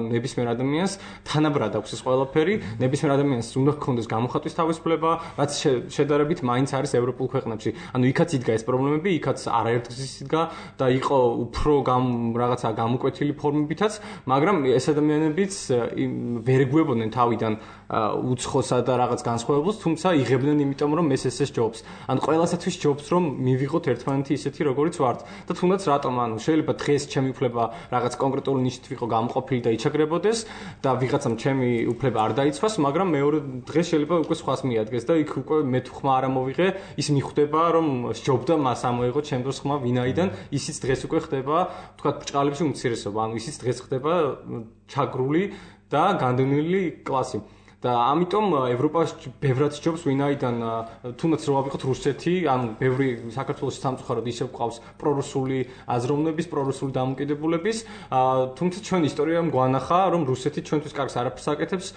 ნებისმიერ ადამიანს, თანაბრად აქვს ეს ყველაფერი, ნებისმიერ ადამიანს უნდა ჰქონდეს გამოხატვის თავისუფლება, რაც შედარებით მაინც არის ევროპულ ქვეყნებში. ანუ იქაც იდგა ეს პრობლემები, იქაც არაერთ გზის იდგა და იყო უფრო რაღაცა გამოკვეთილი ფორმებითაც, მაგრამ ეს ადამიანებიც ვერ ეგუებოდნენ თავიდან უცხოსა და რაღაც განსხვავებულს, თუმცა იღებდნენ იმიტომ, რომ ეს ჯობს. ან ყველასათვის ჯობს, რომ მივიღოთ ერთმანეთი ისეთი, როგორიც ვართ. და თუნდაც რატომ, ანუ შეიძლება დღეს ჩემი უფლება რაღაც კონკრეტული ნიშნით ვიყო გამოყოფილი და იჩაგრებოდეს და ვიღაცამ ჩემი უფლება არ დაიცვას, მაგრამ მეორე დღეს შეიძლება უკვე სხვას მიადგეს და იქ უკვე მე თუ ხმა არ ამოვიღე, ის მიხვდება, რომ სჯობდა მას ამოიღო ჩემ დროს ხმა ვინაიდან ისიც დღეს უკვე ხდება, თქვათ ბრჭყალებში უმცირესობა, ანუ ისიც დღეს ხდება ჩაგრული და განდევნილი კლასი. და ამიტომ ევროპაში ბევრად ჯობს ვინაიდან თუნდაც რო ავიღოთ რუსეთი, ანუ ბევრი საქართველოს სამწუხაროდ ისევ ყავს პრორუსული აზროვნების, პრორუსული დამოკიდებულების, თუმცა ჩვენ ისტორიამ გვანახა, რომ რუსეთი ჩვენთვის კარგს არაფერს აკეთებს,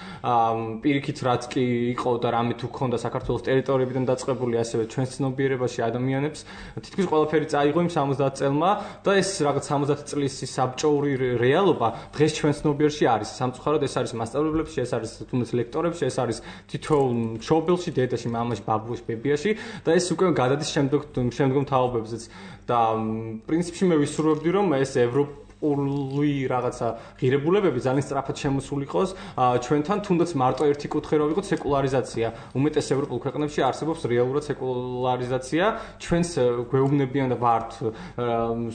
პირიქით რაც კი იყო და რამე თუ ქონდა საქართველოს ტერიტორიებიდან დაწყებული, ასევე ჩვენს ცნობიერებაში ადამიანებს, თითქმის ყველაფერი წაიღო იმ 70 წელმა და ეს რაღაც 70 წლის საბჭოური რეალობა დღეს ჩვენ ცნობიერში არის. სამწუხაროდ ეს არის მასწავლებლებში, ეს არის თუნდაც ეს არის თითოეულ მშობელში, დედაში, მამაში, ბაბუაში, ბებიაში და ეს უკვე გადადის შემდგომ თაობებზეც და პრინციპში მე ვისურვებდი, რომ ეს პოლიტიკური რაღაცა ღირებულებები ძალიან სწრაფად შემოსული იყოს ჩვენთან, თუნდაც მარტო ერთი კუთხე რო ვიყოთ სეკულარიზაცია. უმეტეს ევროპულ ქვეყნებში არსებობს რეალურად სეკულარიზაცია. ჩვენს გვეუბნებიან და ვართ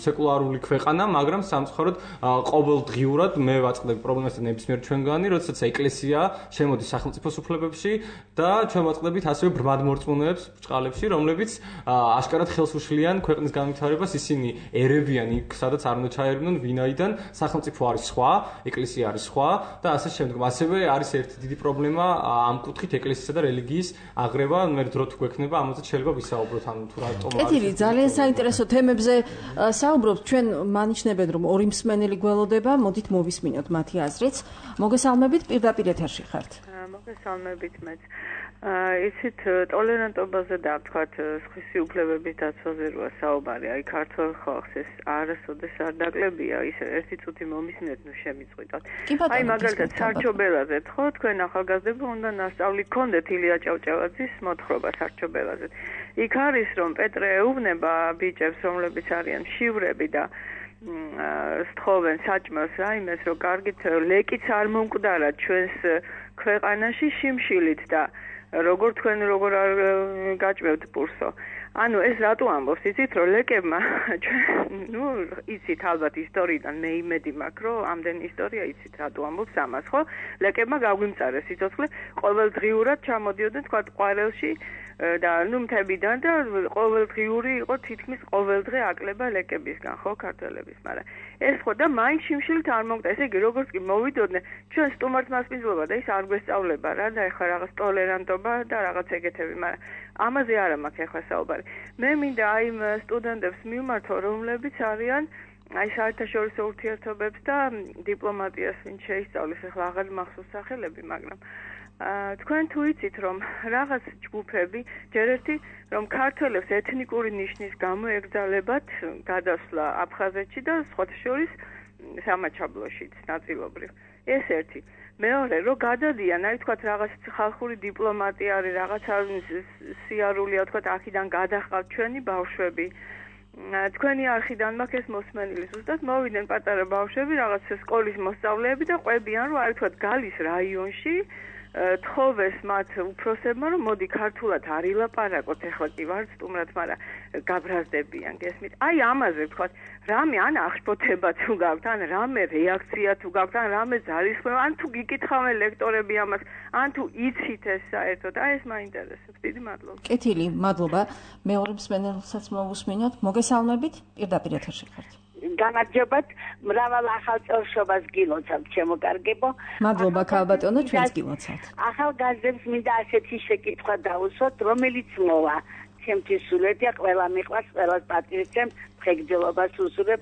სეკულარული ქვეყანა, მაგრამ სამწუხაროდ ყოველდღიურად მე ვაწყდები პრობლემას ნებისმიერ ჩვენგანი, როდესაც ეკლესია შემოდის სახელმწიფოს უფლებებში და ჩვენ ვაწყდებით ასევე ბრმად მორწმუნეებს ბრჭყალებში, რომლებიც აშკარად ხელს უშლიან ქვეყნის განვითარებას, ისინი ერებიან იქ, სადაც არ უნდა ჩაერევნონ, ვინაიდან სახელმწიფო არის სხვა, ეკლესია არის სხვა და ასე შემდგომ. ასევე არის ერთი დიდი პრობლემა ამ კუთხით ეკლესიისა და რელიგიის აღრევა, მე დრო თუ გვექნება, ამაზე შეიძლება ვისაუბროთ, ანუ თუ რატომ არის. კეთილი, ძალიან საინტერესო თემებზე საუბრობთ. ჩვენ მანიშნებენ, რომ ორი მსმენელი გველოდება, მოდით მოვისმინოთ მათი აზრიც. მოგესალმებით, პირდაპირ ეთერში ხართ. მოგესალმებით მეც. იცით, ტოლერანტობაზე და ვთქვათ, სხვისი უფლებების დაცვაზე როა საუბარი, აი ქართულ ხალხს ეს არასოდეს არ დაკლებია, ისე ერთი წუთი მომისმინეთ, ნუ შემიწყვიტოთ. აი მაგალითად სარჩობელაზე, ხო, თქვენ ახალგაზრდები უნდა ნასწავლი გქონდეთ ილია ჭავჭავაძის მოთხრობა სარჩობელაზე. იქ არის რომ პეტრე ეუბნება ბიჭებს, რომლებიც არიან შივრები და სთხოვენ საჭმელს რაიმეს, რომ კარგით ლეკიც არ მომკვდარა ჩვენს ქვეყანაში შიმშილით და როგორ თქვენ როგორ არ გაჭმევთ პურსო. ანუ ეს რატო ამბობს, იცით, რომ ლეკებმა ნუ იცით ალბათ ისტორიიდან მე იმედი მაქვს, რომ ამდენი ისტორია იცით რატო ამბობს ამას, ხო? ლეკებმა გაგვიმწარეს სიცოცხლე, ყოველდღიურად ჩამოდიოდნენ თქვა ყვარელში და ნუ მთებიდან და ყოველდღიური იყო თითქმის ყოველდღე აკლება ლეკებისგან, ხო, ქართველების, მაგრამ ეს ხო და მაინც შიმშილით არ მომკვდა. ესე იგი, როგორც კი მოვიდოდნენ, ჩვენ სტუმართმასპინძლობა და ის არ გვესწავლება რა და ეხლა რაღაც ტოლერანტობა და რაღაც ეგეთები, მაგრამ ამაზე არა მაქვს ეხლა საუბარი. მე მინდა აი იმ სტუდენტებს მივმართო, რომლებიც არიან აი საერთაშორისო ურთიერთობებს და დიპლომატიას ვინც შეისწავლის, ეხლა აღარ მახსოვს სახელები, მაგრამ თქვენ თუ იცით რომ რაღაც ჯგუფები ჯერ ერთი რომ ქართველებს ეთნიკური ნიშნის გამო ეკრძალებათ გადასვლა აფხაზეთში და სხვათა შორის სამაჩაბლოშიც ნაწილობრივ. ეს ერთი. მეორე რომ გადადიან, აი თქვათ რაღაც ხალხური დიპლომატია არის, რაღაცა სიარულია, თქვათ აქედან გადახავთ ჩვენი ბავშვები. თქვენი არხიდან მაქვს ეს მოსმენილი, ზუსტად მოვიდნენ პატარა ბავშვები, რაღაც სკოლის მოსწავლეები და ყვებიან, რომ აი თქვათ გალის რაიონში თხოვეს მათ უფროსებმა, რომ მოდი ქართულად არ ილაპარაკოთ, ეხლა კი ვარ სტუმრად, მაგრამ გაბრაზდებიან, გესმით? აი ამაზე ვთქვათ, რამე ან აღშფოთება თუ გაქვთ, ან რამე რეაქცია თუ გაქვთ, ან რამე ძალისხმევა, ან თუ გიკითხავენ ლექტორები ამას, ან თუ იცით ეს საერთოდ, აი ეს მაინტერესებს. დიდი მადლობა. კეთილი, მადლობა. მეორე მსმენელსაც მოვუსმინოთ. მოგესალმებით, პირდაპირ ეთერში ხართ. გამარჯობათ, მრავალ ახალ წელშობას გილოცავთ, შემოგარგებო. მადლობა ქალბატონო, ჩვენც გილოცავთ. ახალგაზრდებს მინდა ასეთი შეკითხვა დავუსვათ, რომელიც მოვა. ჩემთვის სულეთია, ყველა მიყვარს, ყველას პატივისცემ, მღეგრძელობას უსურებ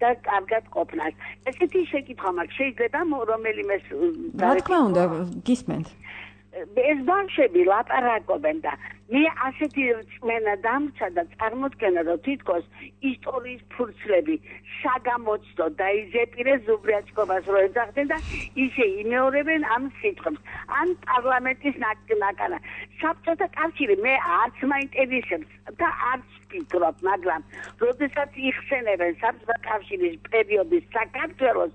და კარგად ყოფნას. ესეთი შეკითხვა მაქვს, შეიძლება რომელიმე რა თქმა უნდა, გისმენთ. ეს ბავშვები ლაპარაკობენ და მე ასეთი რწმენა დამრჩა და წარმოდგენა, რომ თითქოს ისტორიის ფურცლები საგამოცდო და იზეპირეს ზუბრიაჩკობას რო ეძახდნენ და ისე იმეორებენ ამ სიტყვებს. ან პარლამენტის ნაკანა. საბჭოთა კავშირი მე არც მაინტერესებს და არც ვფიქრობ, მაგრამ როდესაც იხსენებენ საბჭოთა კავშირის პერიოდის საქართველოს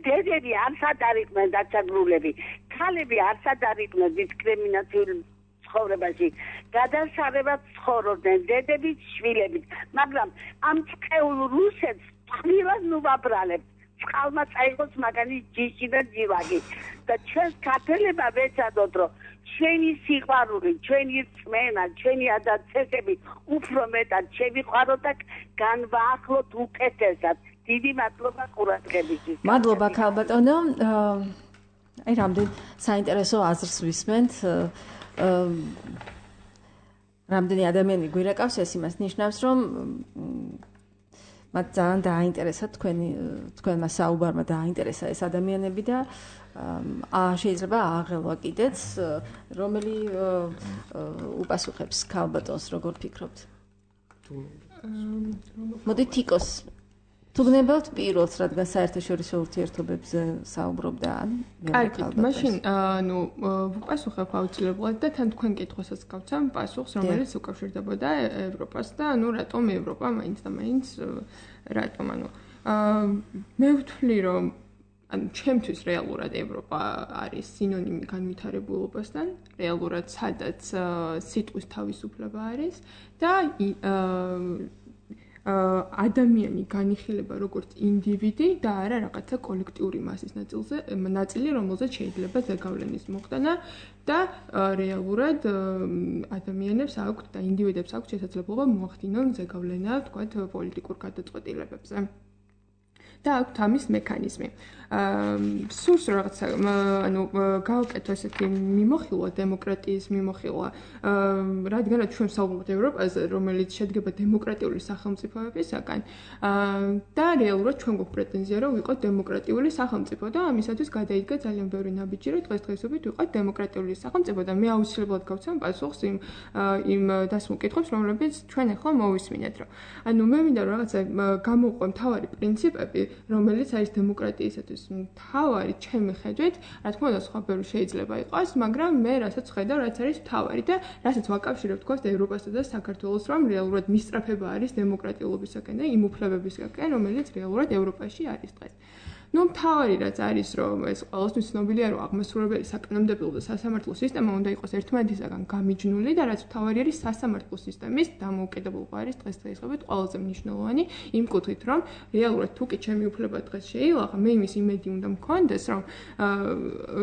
დედები არც ადარიყვნენ დაწაგრულები, ქალები არც ადარიყვნენ დისკრიმინაციული ცხოვრებაში, გადასარევად ცხოვრობდნენ დედებით, შვილებით, მაგრამ ამ წყეულ რუსეთს თმილად ნუვაბრალებთ, წყალმა წაიღოს მაგანი ჯიში და ჯილაგი და ჩვენს ქართველებმა ვეცადოთ, რომ ჩვენი სიყვარული, ჩვენი რწმენა, ჩვენი ადაცესები უფრო მეტად შევიყვაროთ და განვაახლოთ უკეთესად. დიდი მადლობა ყურადღებისთვის. მადლობა ქალბატონო. აი რამდენ საინტერესო აზრს ვისმენთ. რამდენი ადამიანი გვირეკავს, ეს იმას ნიშნავს, რომ მათ ძალიან დააინტერესა თქვენმა საუბარმა დააინტერესა ეს ადამიანები და შეიძლება აღელვა კიდეც, რომელი უპასუხებს ქალბატონს, როგორ ფიქრობთ? მოდი თიკოს თუ გნებავთ პირველს, რადგან საერთაშორისო ურთიერთობებზე საუბრობდა ან კარგით, მაშინ ნუ ვუპასუხებ აუცილებლად და თან თქვენ კითხვასაც გავცემ პასუხს, რომელიც უკავშირდებოდა ევროპას და ნუ რატომ ევროპა მაინც და მაინც რატომ, ანუ მე ვთვლი რომ ანუ ჩემთვის რეალურად ევროპა არის სინონიმი განვითარებულობასთან, რეალურად სადაც სიტყვის თავისუფლება არის და ადამიანი განიხილება როგორც ინდივიდი და არა რაღაცა კოლექტიური მასის ნაწილი, რომელზეც შეიძლება ზეგავლენის მოხდანა და რეალურად ადამიანებს აქვთ და ინდივიდებს აქვთ შესაძლებლობა მოახდინონ ზეგავლენა, თქვათ, პოლიტიკურ გადაწყვეტილებებზე. და აქვთ ამის მექანიზმი. სურს რაღაცა, ანუ გავაკეთო ესეთი მიმოხილვა დემოკრატიის მიმოხილვა, რადგანაც ჩვენ ვსაუბრობთ ევროპაზე, რომელიც შედგება დემოკრატიული სახელმწიფოებისაგან და რეალურად ჩვენ გვაქვს პრეტენზია, რომ ვიყოთ დემოკრატიული სახელმწიფო და ამისათვის გადაიდგა ძალიან ბევრი ნაბიჯი, რომ დღესდღეობით ვიყოთ დემოკრატიული სახელმწიფო და მე აუცილებლად გავცემ პასუხს იმ დასმულ კითხვებს, რომლებიც ჩვენ ახლა მოვისმინეთ, რომ ანუ მე მინდა რომ რაღაცა გამოვყვე მთავარი პრინციპები, რომელიც არის დემოკრატიისათვის მთავარი ჩემი ხედვით, რა თქმა უნდა, სხვა ბევრი შეიძლება იყოს, მაგრამ მე რასაც ხედავ, რაც არის მთავარი და რასაც ვაკავშირებ თქვათ ევროპასა და საქართველოს, რომ რეალურად მისწრაფება არის დემოკრატიულობისაკენ და იმ უფლებებისაკენ, რომელიც რეალურად ევროპაში არის დღეს. ნუ მთავარი რაც არის, რომ ეს ყველასთვის ცნობილია, რომ აღმასრულებელი საკანონმდებლო და სასამართლო სისტემა უნდა იყოს ერთმანეთისაგან გამიჯნული და რაც მთავარი არის სასამართლო სისტემის დამოუკიდებლობა არის დღესდღეობით ყველაზე მნიშვნელოვანი იმ კუთხით, რომ რეალურად თუ კი ჩემი უფლება დღეს შეილაღა, მე იმის იმედი უნდა მქონდეს,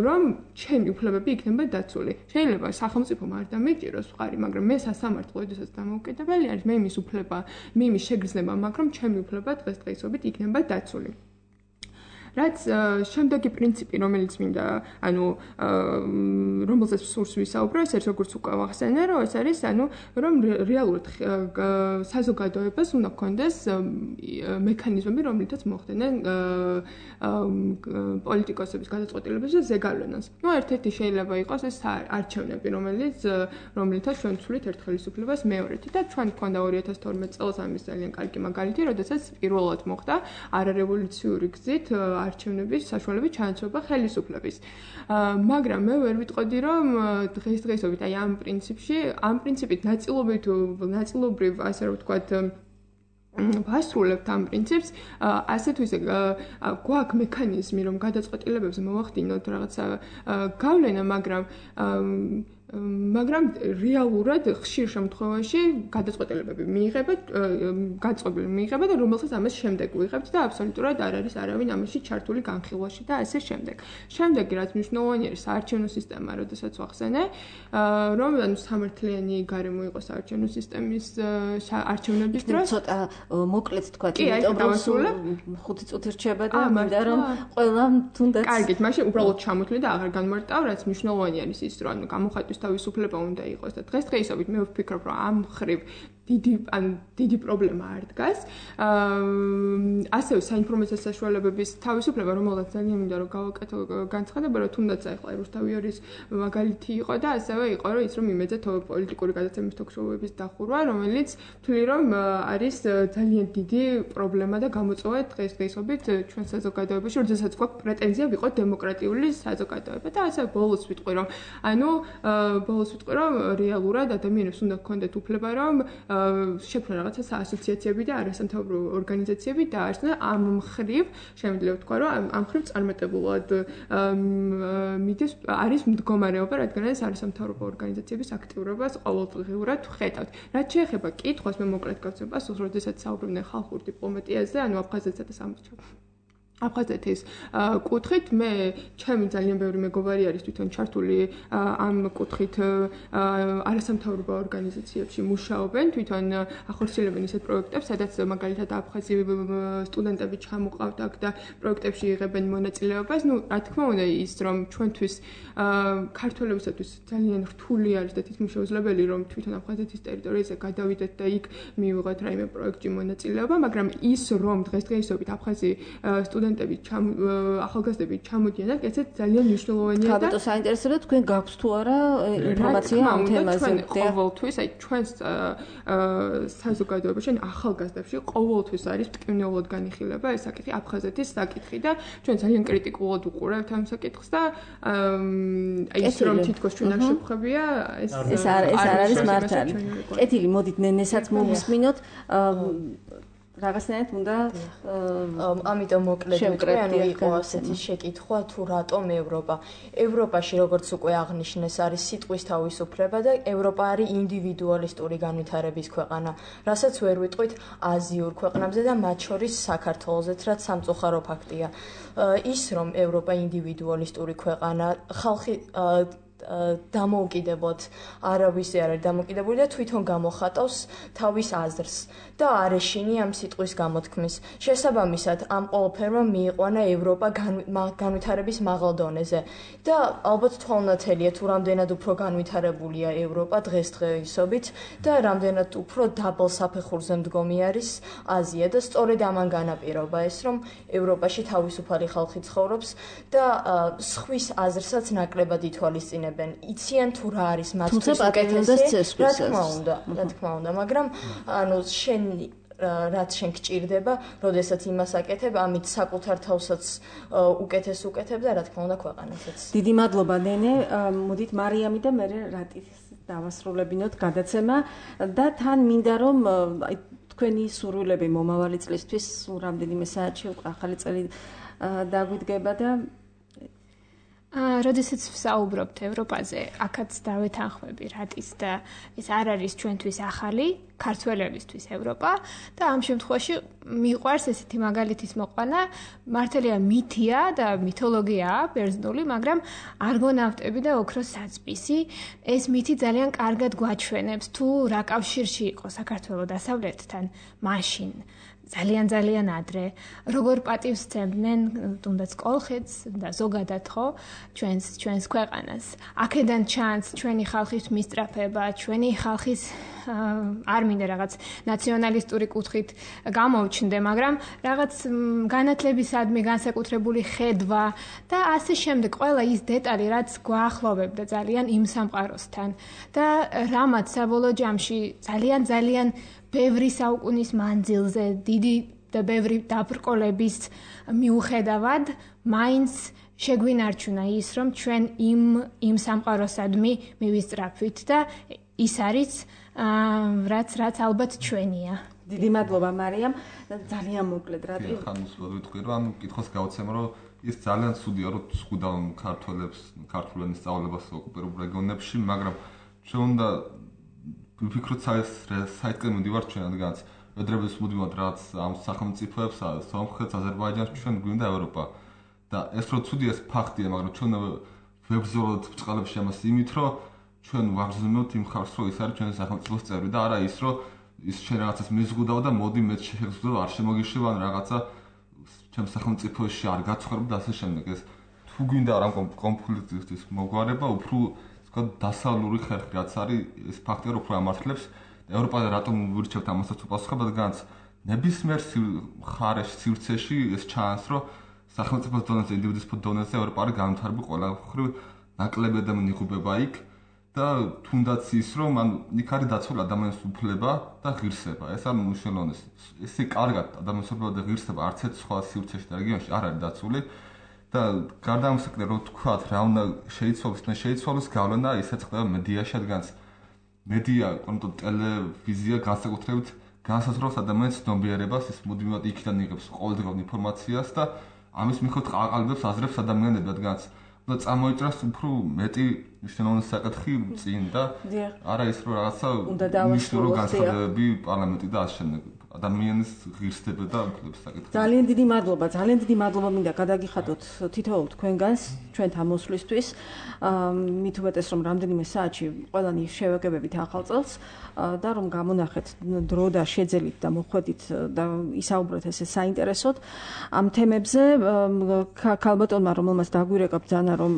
რომ ჩემი უფლებები იქნება დაცული. შეიძლება სახელმწიფომ არ დამეჭიროს მხარი, მაგრამ მე სასამართლო ოდესაც დამოუკიდებელი არის, მე იმის უფლება, მე იმის შეგრძნება მაქვს, რომ ჩემი უფლება დღესდღეობით იქნება დაცული. რაც შემდეგი პრინციპი, რომელიც მინდა, ანუ რომელზეც სურს ვისაუბრო, ეს არის როგორც უკვე ვახსენე, რომ ეს არის, ანუ რომ რეალურად საზოგადოებას უნდა ჰქონდეს მექანიზმები, რომლითაც მოხდენენ პოლიტიკოსების გადაწყვეტილებებს და ზეგავლენას. ნუ ერთ-ერთი შეიძლება იყოს ეს არჩევნები, რომლითაც ჩვენ ვცვლით ერთ ხელისუფლებას მეორეთი და ჩვენ გვქონდა 2012 წელს ამის ძალიან კარგი მაგალითი, როდესაც პირველად მოხდა არარევოლუციური გზით არჩევნების საშუალებით ჩანაცვლება ხელისუფლების. მაგრამ მე ვერ ვიტყოდი, რომ დღესდღეობით აი ამ პრინციპით ნაწილობრივ, ასე რომ ვთქვათ, ვასრულებთ ამ პრინციპს, ასე თუ ისე გვაქვს მექანიზმი, რომ გადაწყვეტილებებზე მოვახდინოთ რაღაცა გავლენა, მაგრამ რეალურად ხშირ შემთხვევაში გადაწყვეტილებები მიიღება და რომელსაც ამას შემდეგ ვიღებთ და აბსოლუტურად არ არის არავინ ამაში ჩართული განხილვაში და ასე შემდეგ. შემდეგი რაც მნიშვნელოვანი არის საარჩევნო სისტემა, როდესაც ვახსენე, რომ ანუ სამართლიანი გარემო იყოს საარჩევნო სისტემის არჩევნების დროს. ცოტა მოკლედ თქვა, იმიტომ რომ 5 წუთი რჩება და მინდა რომ ყველა თუნდაც კარგით, მაშინ უბრალოდ ჩამოთვლი და აღარ განმარტავ, რაც მნიშვნელოვანი არის ის, რომ ანუ გამოხატვის თავისუფლება უნდა იყოს და დღესდღეობით მე ვფიქრობ, რომ ამ ხრივ დიდი პრობლემა არ დგას. ასევე საინფორმაციო საშუალებების თავისუფლება, რომელსაც ძალიან მინდა რომ გავაკეთო განცხადება, რომ თუნდაც ახლა რუსთავიორის მაგალითი იყო და ასევე იყო, რომ ის რომ იმედზე პოლიტიკური გადაცემის თოქ-შოუების დახურვა, რომელიც თვლი რომ არის ძალიან დიდი პრობლემა და გამოწვევა დღესდღეობით ჩვენ საზოგადოებაში, როდესაც გვაქვს პრეტენზია ვიყოთ დემოკრატიული საზოგადოება და ასევე ბოლოს ვიტყვი, რომ რეალურად ადამიანებს უნდა ჰქონდეთ უფლება, რომ შექმნა რაღაცა საასოციაციები და არასამთავრობო ორგანიზაციები დაარსნა ამ მხრივ, შემიძლია ვთქვა, რომ ამ მხრივ წარმატებულად მიდის არის მდგომარეობა, რადგანაც არასამთავრობო ორგანიზაციების აქტიურობას ყოველდღიურად ვხედავთ. რაც შეეხება კითხვას, მე მოკლედ გავცემ პასუხს, როდესაც საუბრობდნენ ხალხურ დიპლომატიაზე, ანუ აფხაზეთსა და აფხაზეთის კუთხით მე ჩემი ძალიან ბევრი მეგობარი არის თვითონ ჩართული ამ კუთხით არასამთავრობო ორგანიზაციებში მუშაობენ, თვითონ ახორციელებენ ისეთ პროექტებს, სადაც მაგალითად აფხაზი სტუდენტები ჩამოყავთ აქ და პროექტებში იღებენ მონაწილეობას. ნუ რა თქმა უნდა ის რომ ჩვენთვის ქართველებისათვის ძალიან რთული არის და თითქმის შეუძლებელი რომ თვითონ აფხაზეთის ტერიტორიაზე გადავიდეთ და იქ მივიღოთ რაიმე პროექტში მონაწილეობა, მაგრამ ის რომ დღესდღეობით აფხაზი სტუდენტები ახალგაზრდები ჩამოდიან აქ, ესეც ძალიან მნიშვნელოვანია და ხალხო საინტერესოა თქვენ გაქვთ თუ არა ინფორმაცია ამ თემაზე. ყოველთვის აი ჩვენს საზოგადოებაში, ახალგაზრდებში ყოველთვის არის მტკივნეულად განიხილება ეს საკითხი, აფხაზეთის საკითხი და ჩვენ ძალიან კრიტიკულად უყურებთ ამ საკითხს და აი ის რომ თითქოს ჩვენ არ შევხვებია, ეს არ არის მართალი. კეთილი, მოდით ნენესაც მოვისმინოთ. რაღაცნაირად უნდა ამიტომ მოკლედ ვიტყვი, ანუ იყო ასეთი შეკითხვა თუ რატომ ევროპა. ევროპაში როგორც უკვე აღნიშნეს, არის სიტყვის თავისუფლება და ევროპა არის ინდივიდუალისტური განვითარების ქვეყანა, რასაც ვერ ვიტყვით აზიურ ქვეყნებზე და მათ შორის საქართველოსაც, რაც სამწუხარო ფაქტია. ის რომ ევროპა ინდივიდუალისტური ქვეყანა, ხალხი დამოუკიდებლად არავის არ არის დამოუკიდებული და თვითონ გამოხატავს თავის აზრს და არ ეშინი ამ სიტყვის გამოთქმის. შესაბამისად, ამ ყველაფერმა მიიყვანა ევროპა განვითარების მაღალ დონეზე და ალბათ თვალნათელია თუ რამდენად უფრო განვითარებულია ევროპა დღესდღეობით და რამდენად უფრო დაბალ საფეხურზე მდგომი არის აზია და სწორედ ამან განაპირობა ეს, რომ ევროპაში თავისუფალი ხალხი ცხოვრობს და სხვის აზრსაც ნაკლებად ითვალისწინებენ. იციან თუ რა არის მათთვის უკეთესი, რა თქმა უნდა, მაგრამ ანუ რაც შენ გჭირდება, როდესაც იმას აკეთებ, ამით საკუთარ თავსაც უკეთეს უკეთებ და რა თქმა უნდა ქვეყანასაც. დიდი მადლობა ნენე, მოდით მარიამი და მე რატის დავასრულებინოთ გადაცემა და თან მინდა რომ თქვენი სურვილები მომავალი წლისთვის რამდენიმე საათში უკვე ახალი წელი დაგვიდგება და როდესაც ვსაუბრობთ ევროპაზე, აქაც დავეთანხმები რატის და ეს არ არის ჩვენთვის ახალი, ქართველებისთვის ევროპა და ამ შემთხვევაში მიყვარს ესეთი მაგალითის მოყვანა, მართალია მითია და მითოლოგიაა ბერძნული, მაგრამ არგონავტები და ოქროს საწბისი, ეს მითი ძალიან კარგად გვაჩვენებს თუ რა კავშირში იყო საქართველო დასავლეთთან მაშინ. ძალიან ადრე როგორ პატივს სცემდნენ თუნდაც კოლხეთს და ზოგადად ხო ჩვენს ქვეყანას. აქედან ჩანს ჩვენი ხალხის მისწრაფება, ჩვენი ხალხის არ მინდა რაღაც ნაციონალისტური კუთხით გამოვჩნდე, მაგრამ რაღაც განათლებისადმი განსაკუთრებული ხედვა და ასე შემდეგ ყველა ის დეტალი, რაც გვაახლოვებდა ძალიან იმ სამყაროსთან და რამაც საბოლოო ჯამში ძალიან ბევრი საუკუნის მანძილზე დიდი და ბევრი დაბრკოლების მიუხედავად მაინც შეგვინარჩუნა ის რომ ჩვენ იმ სამყაროსადმი მივისწრაფვით და ის არის რაც ალბათ ჩვენია. დიდი მადლობა მარიამ, ძალიან მოკლედ რატი. ხანს ვიტყვი რომ კითხოს გავცემ რომ ის ძალიან ცუდია რომ ზღუდავენ ქართველებს ქართულ ენის სწავლებას ოკუპირებულ რეგიონებში, მაგრამ ჩვენ უნდა ვიფიქროთ საერთოდ მივდივართ ჩვენ რადგანაც ვედრების მუდმივად რაც ამ სახელმწიფოებს სომხეთს აზერბაიჯანს ჩვენ გვინდა ევროპა და ეს რო ცუდია ეს ფაქტია, მაგრამ ჩვენ ვებრძოლოთ ბჭყალებში ამას იმით რომ ჩვენ ვაგრძნობთ იმ ხალხს რომ ის არის ჩვენი სახელმწიფოს წევრი და არა ის რომ ის შენ რაღაცას მიზღუდავ და მოდი მე შეგზუდავ არ შემოგიშვებ ან რაღაცა ჩემ სახელმწიფოში არ გაცხოვრებ და ასე შემდეგ. ეს თუ გვინდა რა კონფლიქტის მოგვარება უფრო დასავლური ხერხი რაც არის ეს ფაქტია რომ უფრო ამართლებს ევროპაზე რატომ ვირჩევთ ამასაც უპასუხებლად რადგანაც ნებისმიერ მხარეში სივრცეში ეს ჩანს რომ სახელმწიფოს დონეზე ინდივიდის დონეზე ევროპა არის განვითარებული ყველაფერი ნაკლები ადამიანი იღუპება იქ და თუნდაც ის რომ ან იქ არის დაცული ადამიანის უფლება და ღირსება ეს არ მნიშვნელოვანია ესე კარგად ადამიანის უფლება და ღირსება არც ერთ სხვა სივრცეში და რეგიონში არ არის დაცული და გარდა ამისა რომ თქვათ რა უნდა შეიცვალოს გავლენა ისაც ხდება მედიაში რადგანაც მედია კონკრეტულად ტელევიზია განსაკუთრებით განსაზღვრავს ადამიანის ცნობიერებას ის მუდმივად იქიდან იღებს ყოველდღიურ ინფორმაციას და ამის მიხედვით აყალიბებს აზრებს ადამიანები რადგანაც და წამოიჭრას უფრო მეტი მნიშვნელოვანი საკითხი წინ და არა ის რომ რაღაცა მნიშვნელოვანი განსხვავებები პარლამენტი და ასე შემდეგ ადამიანის ღირსდება და უფლების საკითხი. ძალიან დიდი მადლობა მინდა გადაგიხადოთ თითოეულ თქვენგანს ჩვენთან მოსვლისთვის. მით უმეტეს რომ რამდენიმე საათში ყველანი შევაგებებით ახალ წელს და რომ გამონახეთ დრო და შეძელით და მოხვედით და ისაუბრეთ ესე საინტერესოდ ამ თემებზე ქალბატონმა რომელმაც დაგვირეკა ბრძანა რომ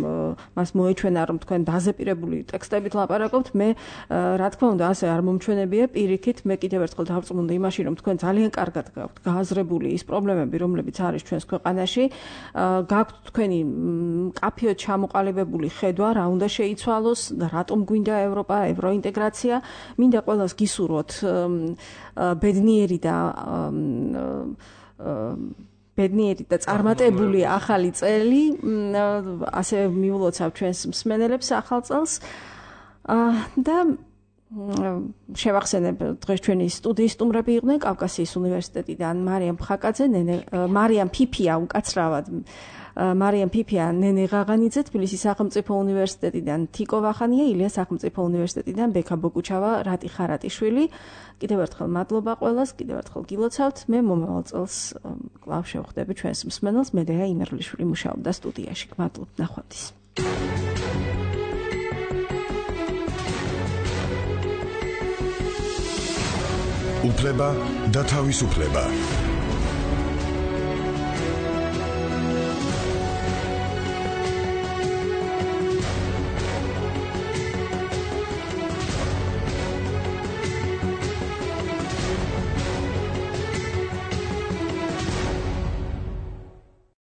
მას მოეჩვენა რომ თქვენ დაზეპირებული ტექსტებით ლაპარაკობთ მე რა თქმა უნდა ასე არ მომჩვენებია პირიქით მე კიდევ ერთხელ დავწმუნდი იმაში რომ თქვენ ძალიან კარგად გაქვთ გააზრებული ის პრობლემები რომლებიც არის ჩვენს ქვეყანაში გაქვთ თქვენი მკაფიოდ ჩამოყალიბებული ხედვა რა უნდა შეიცვალოს და რატომ გვინდა ევროპა ევროინტეგრაცია მინდა ყველას გისურვოთ ბედნიერი და წარმატებული ახალი წელი ასე მიულოცავ ჩვენს მსმენელებს ახალ წელს და შევახსენებ დღეს ჩვენი სტუდიის სტუმრები იყვნენ კავკასიის უნივერსიტეტიდან მარიამ ხაკაძე, მარიამ ფიფია უკაცრავად მარიამ ფიფია, ნენე ღაღანიძე თბილისის სახელმწიფო უნივერსიტეტიდან, თიკო ვახანია ილიას სახელმწიფო უნივერსიტეტიდან, ბექა ბოკუჩავა, რატი ხარატიშვილი. კიდევ ერთხელ მადლობა ყველას, კიდევ ერთხელ გილოცავთ. მე მომავალ წელს კვლავ შევხვდები ჩვენს მსმენელს, მედეა იმერლიშვილი მუშაობდა სტუდიაში. მადლობთ, ნახვამდის. უფლება და თავისუფლება.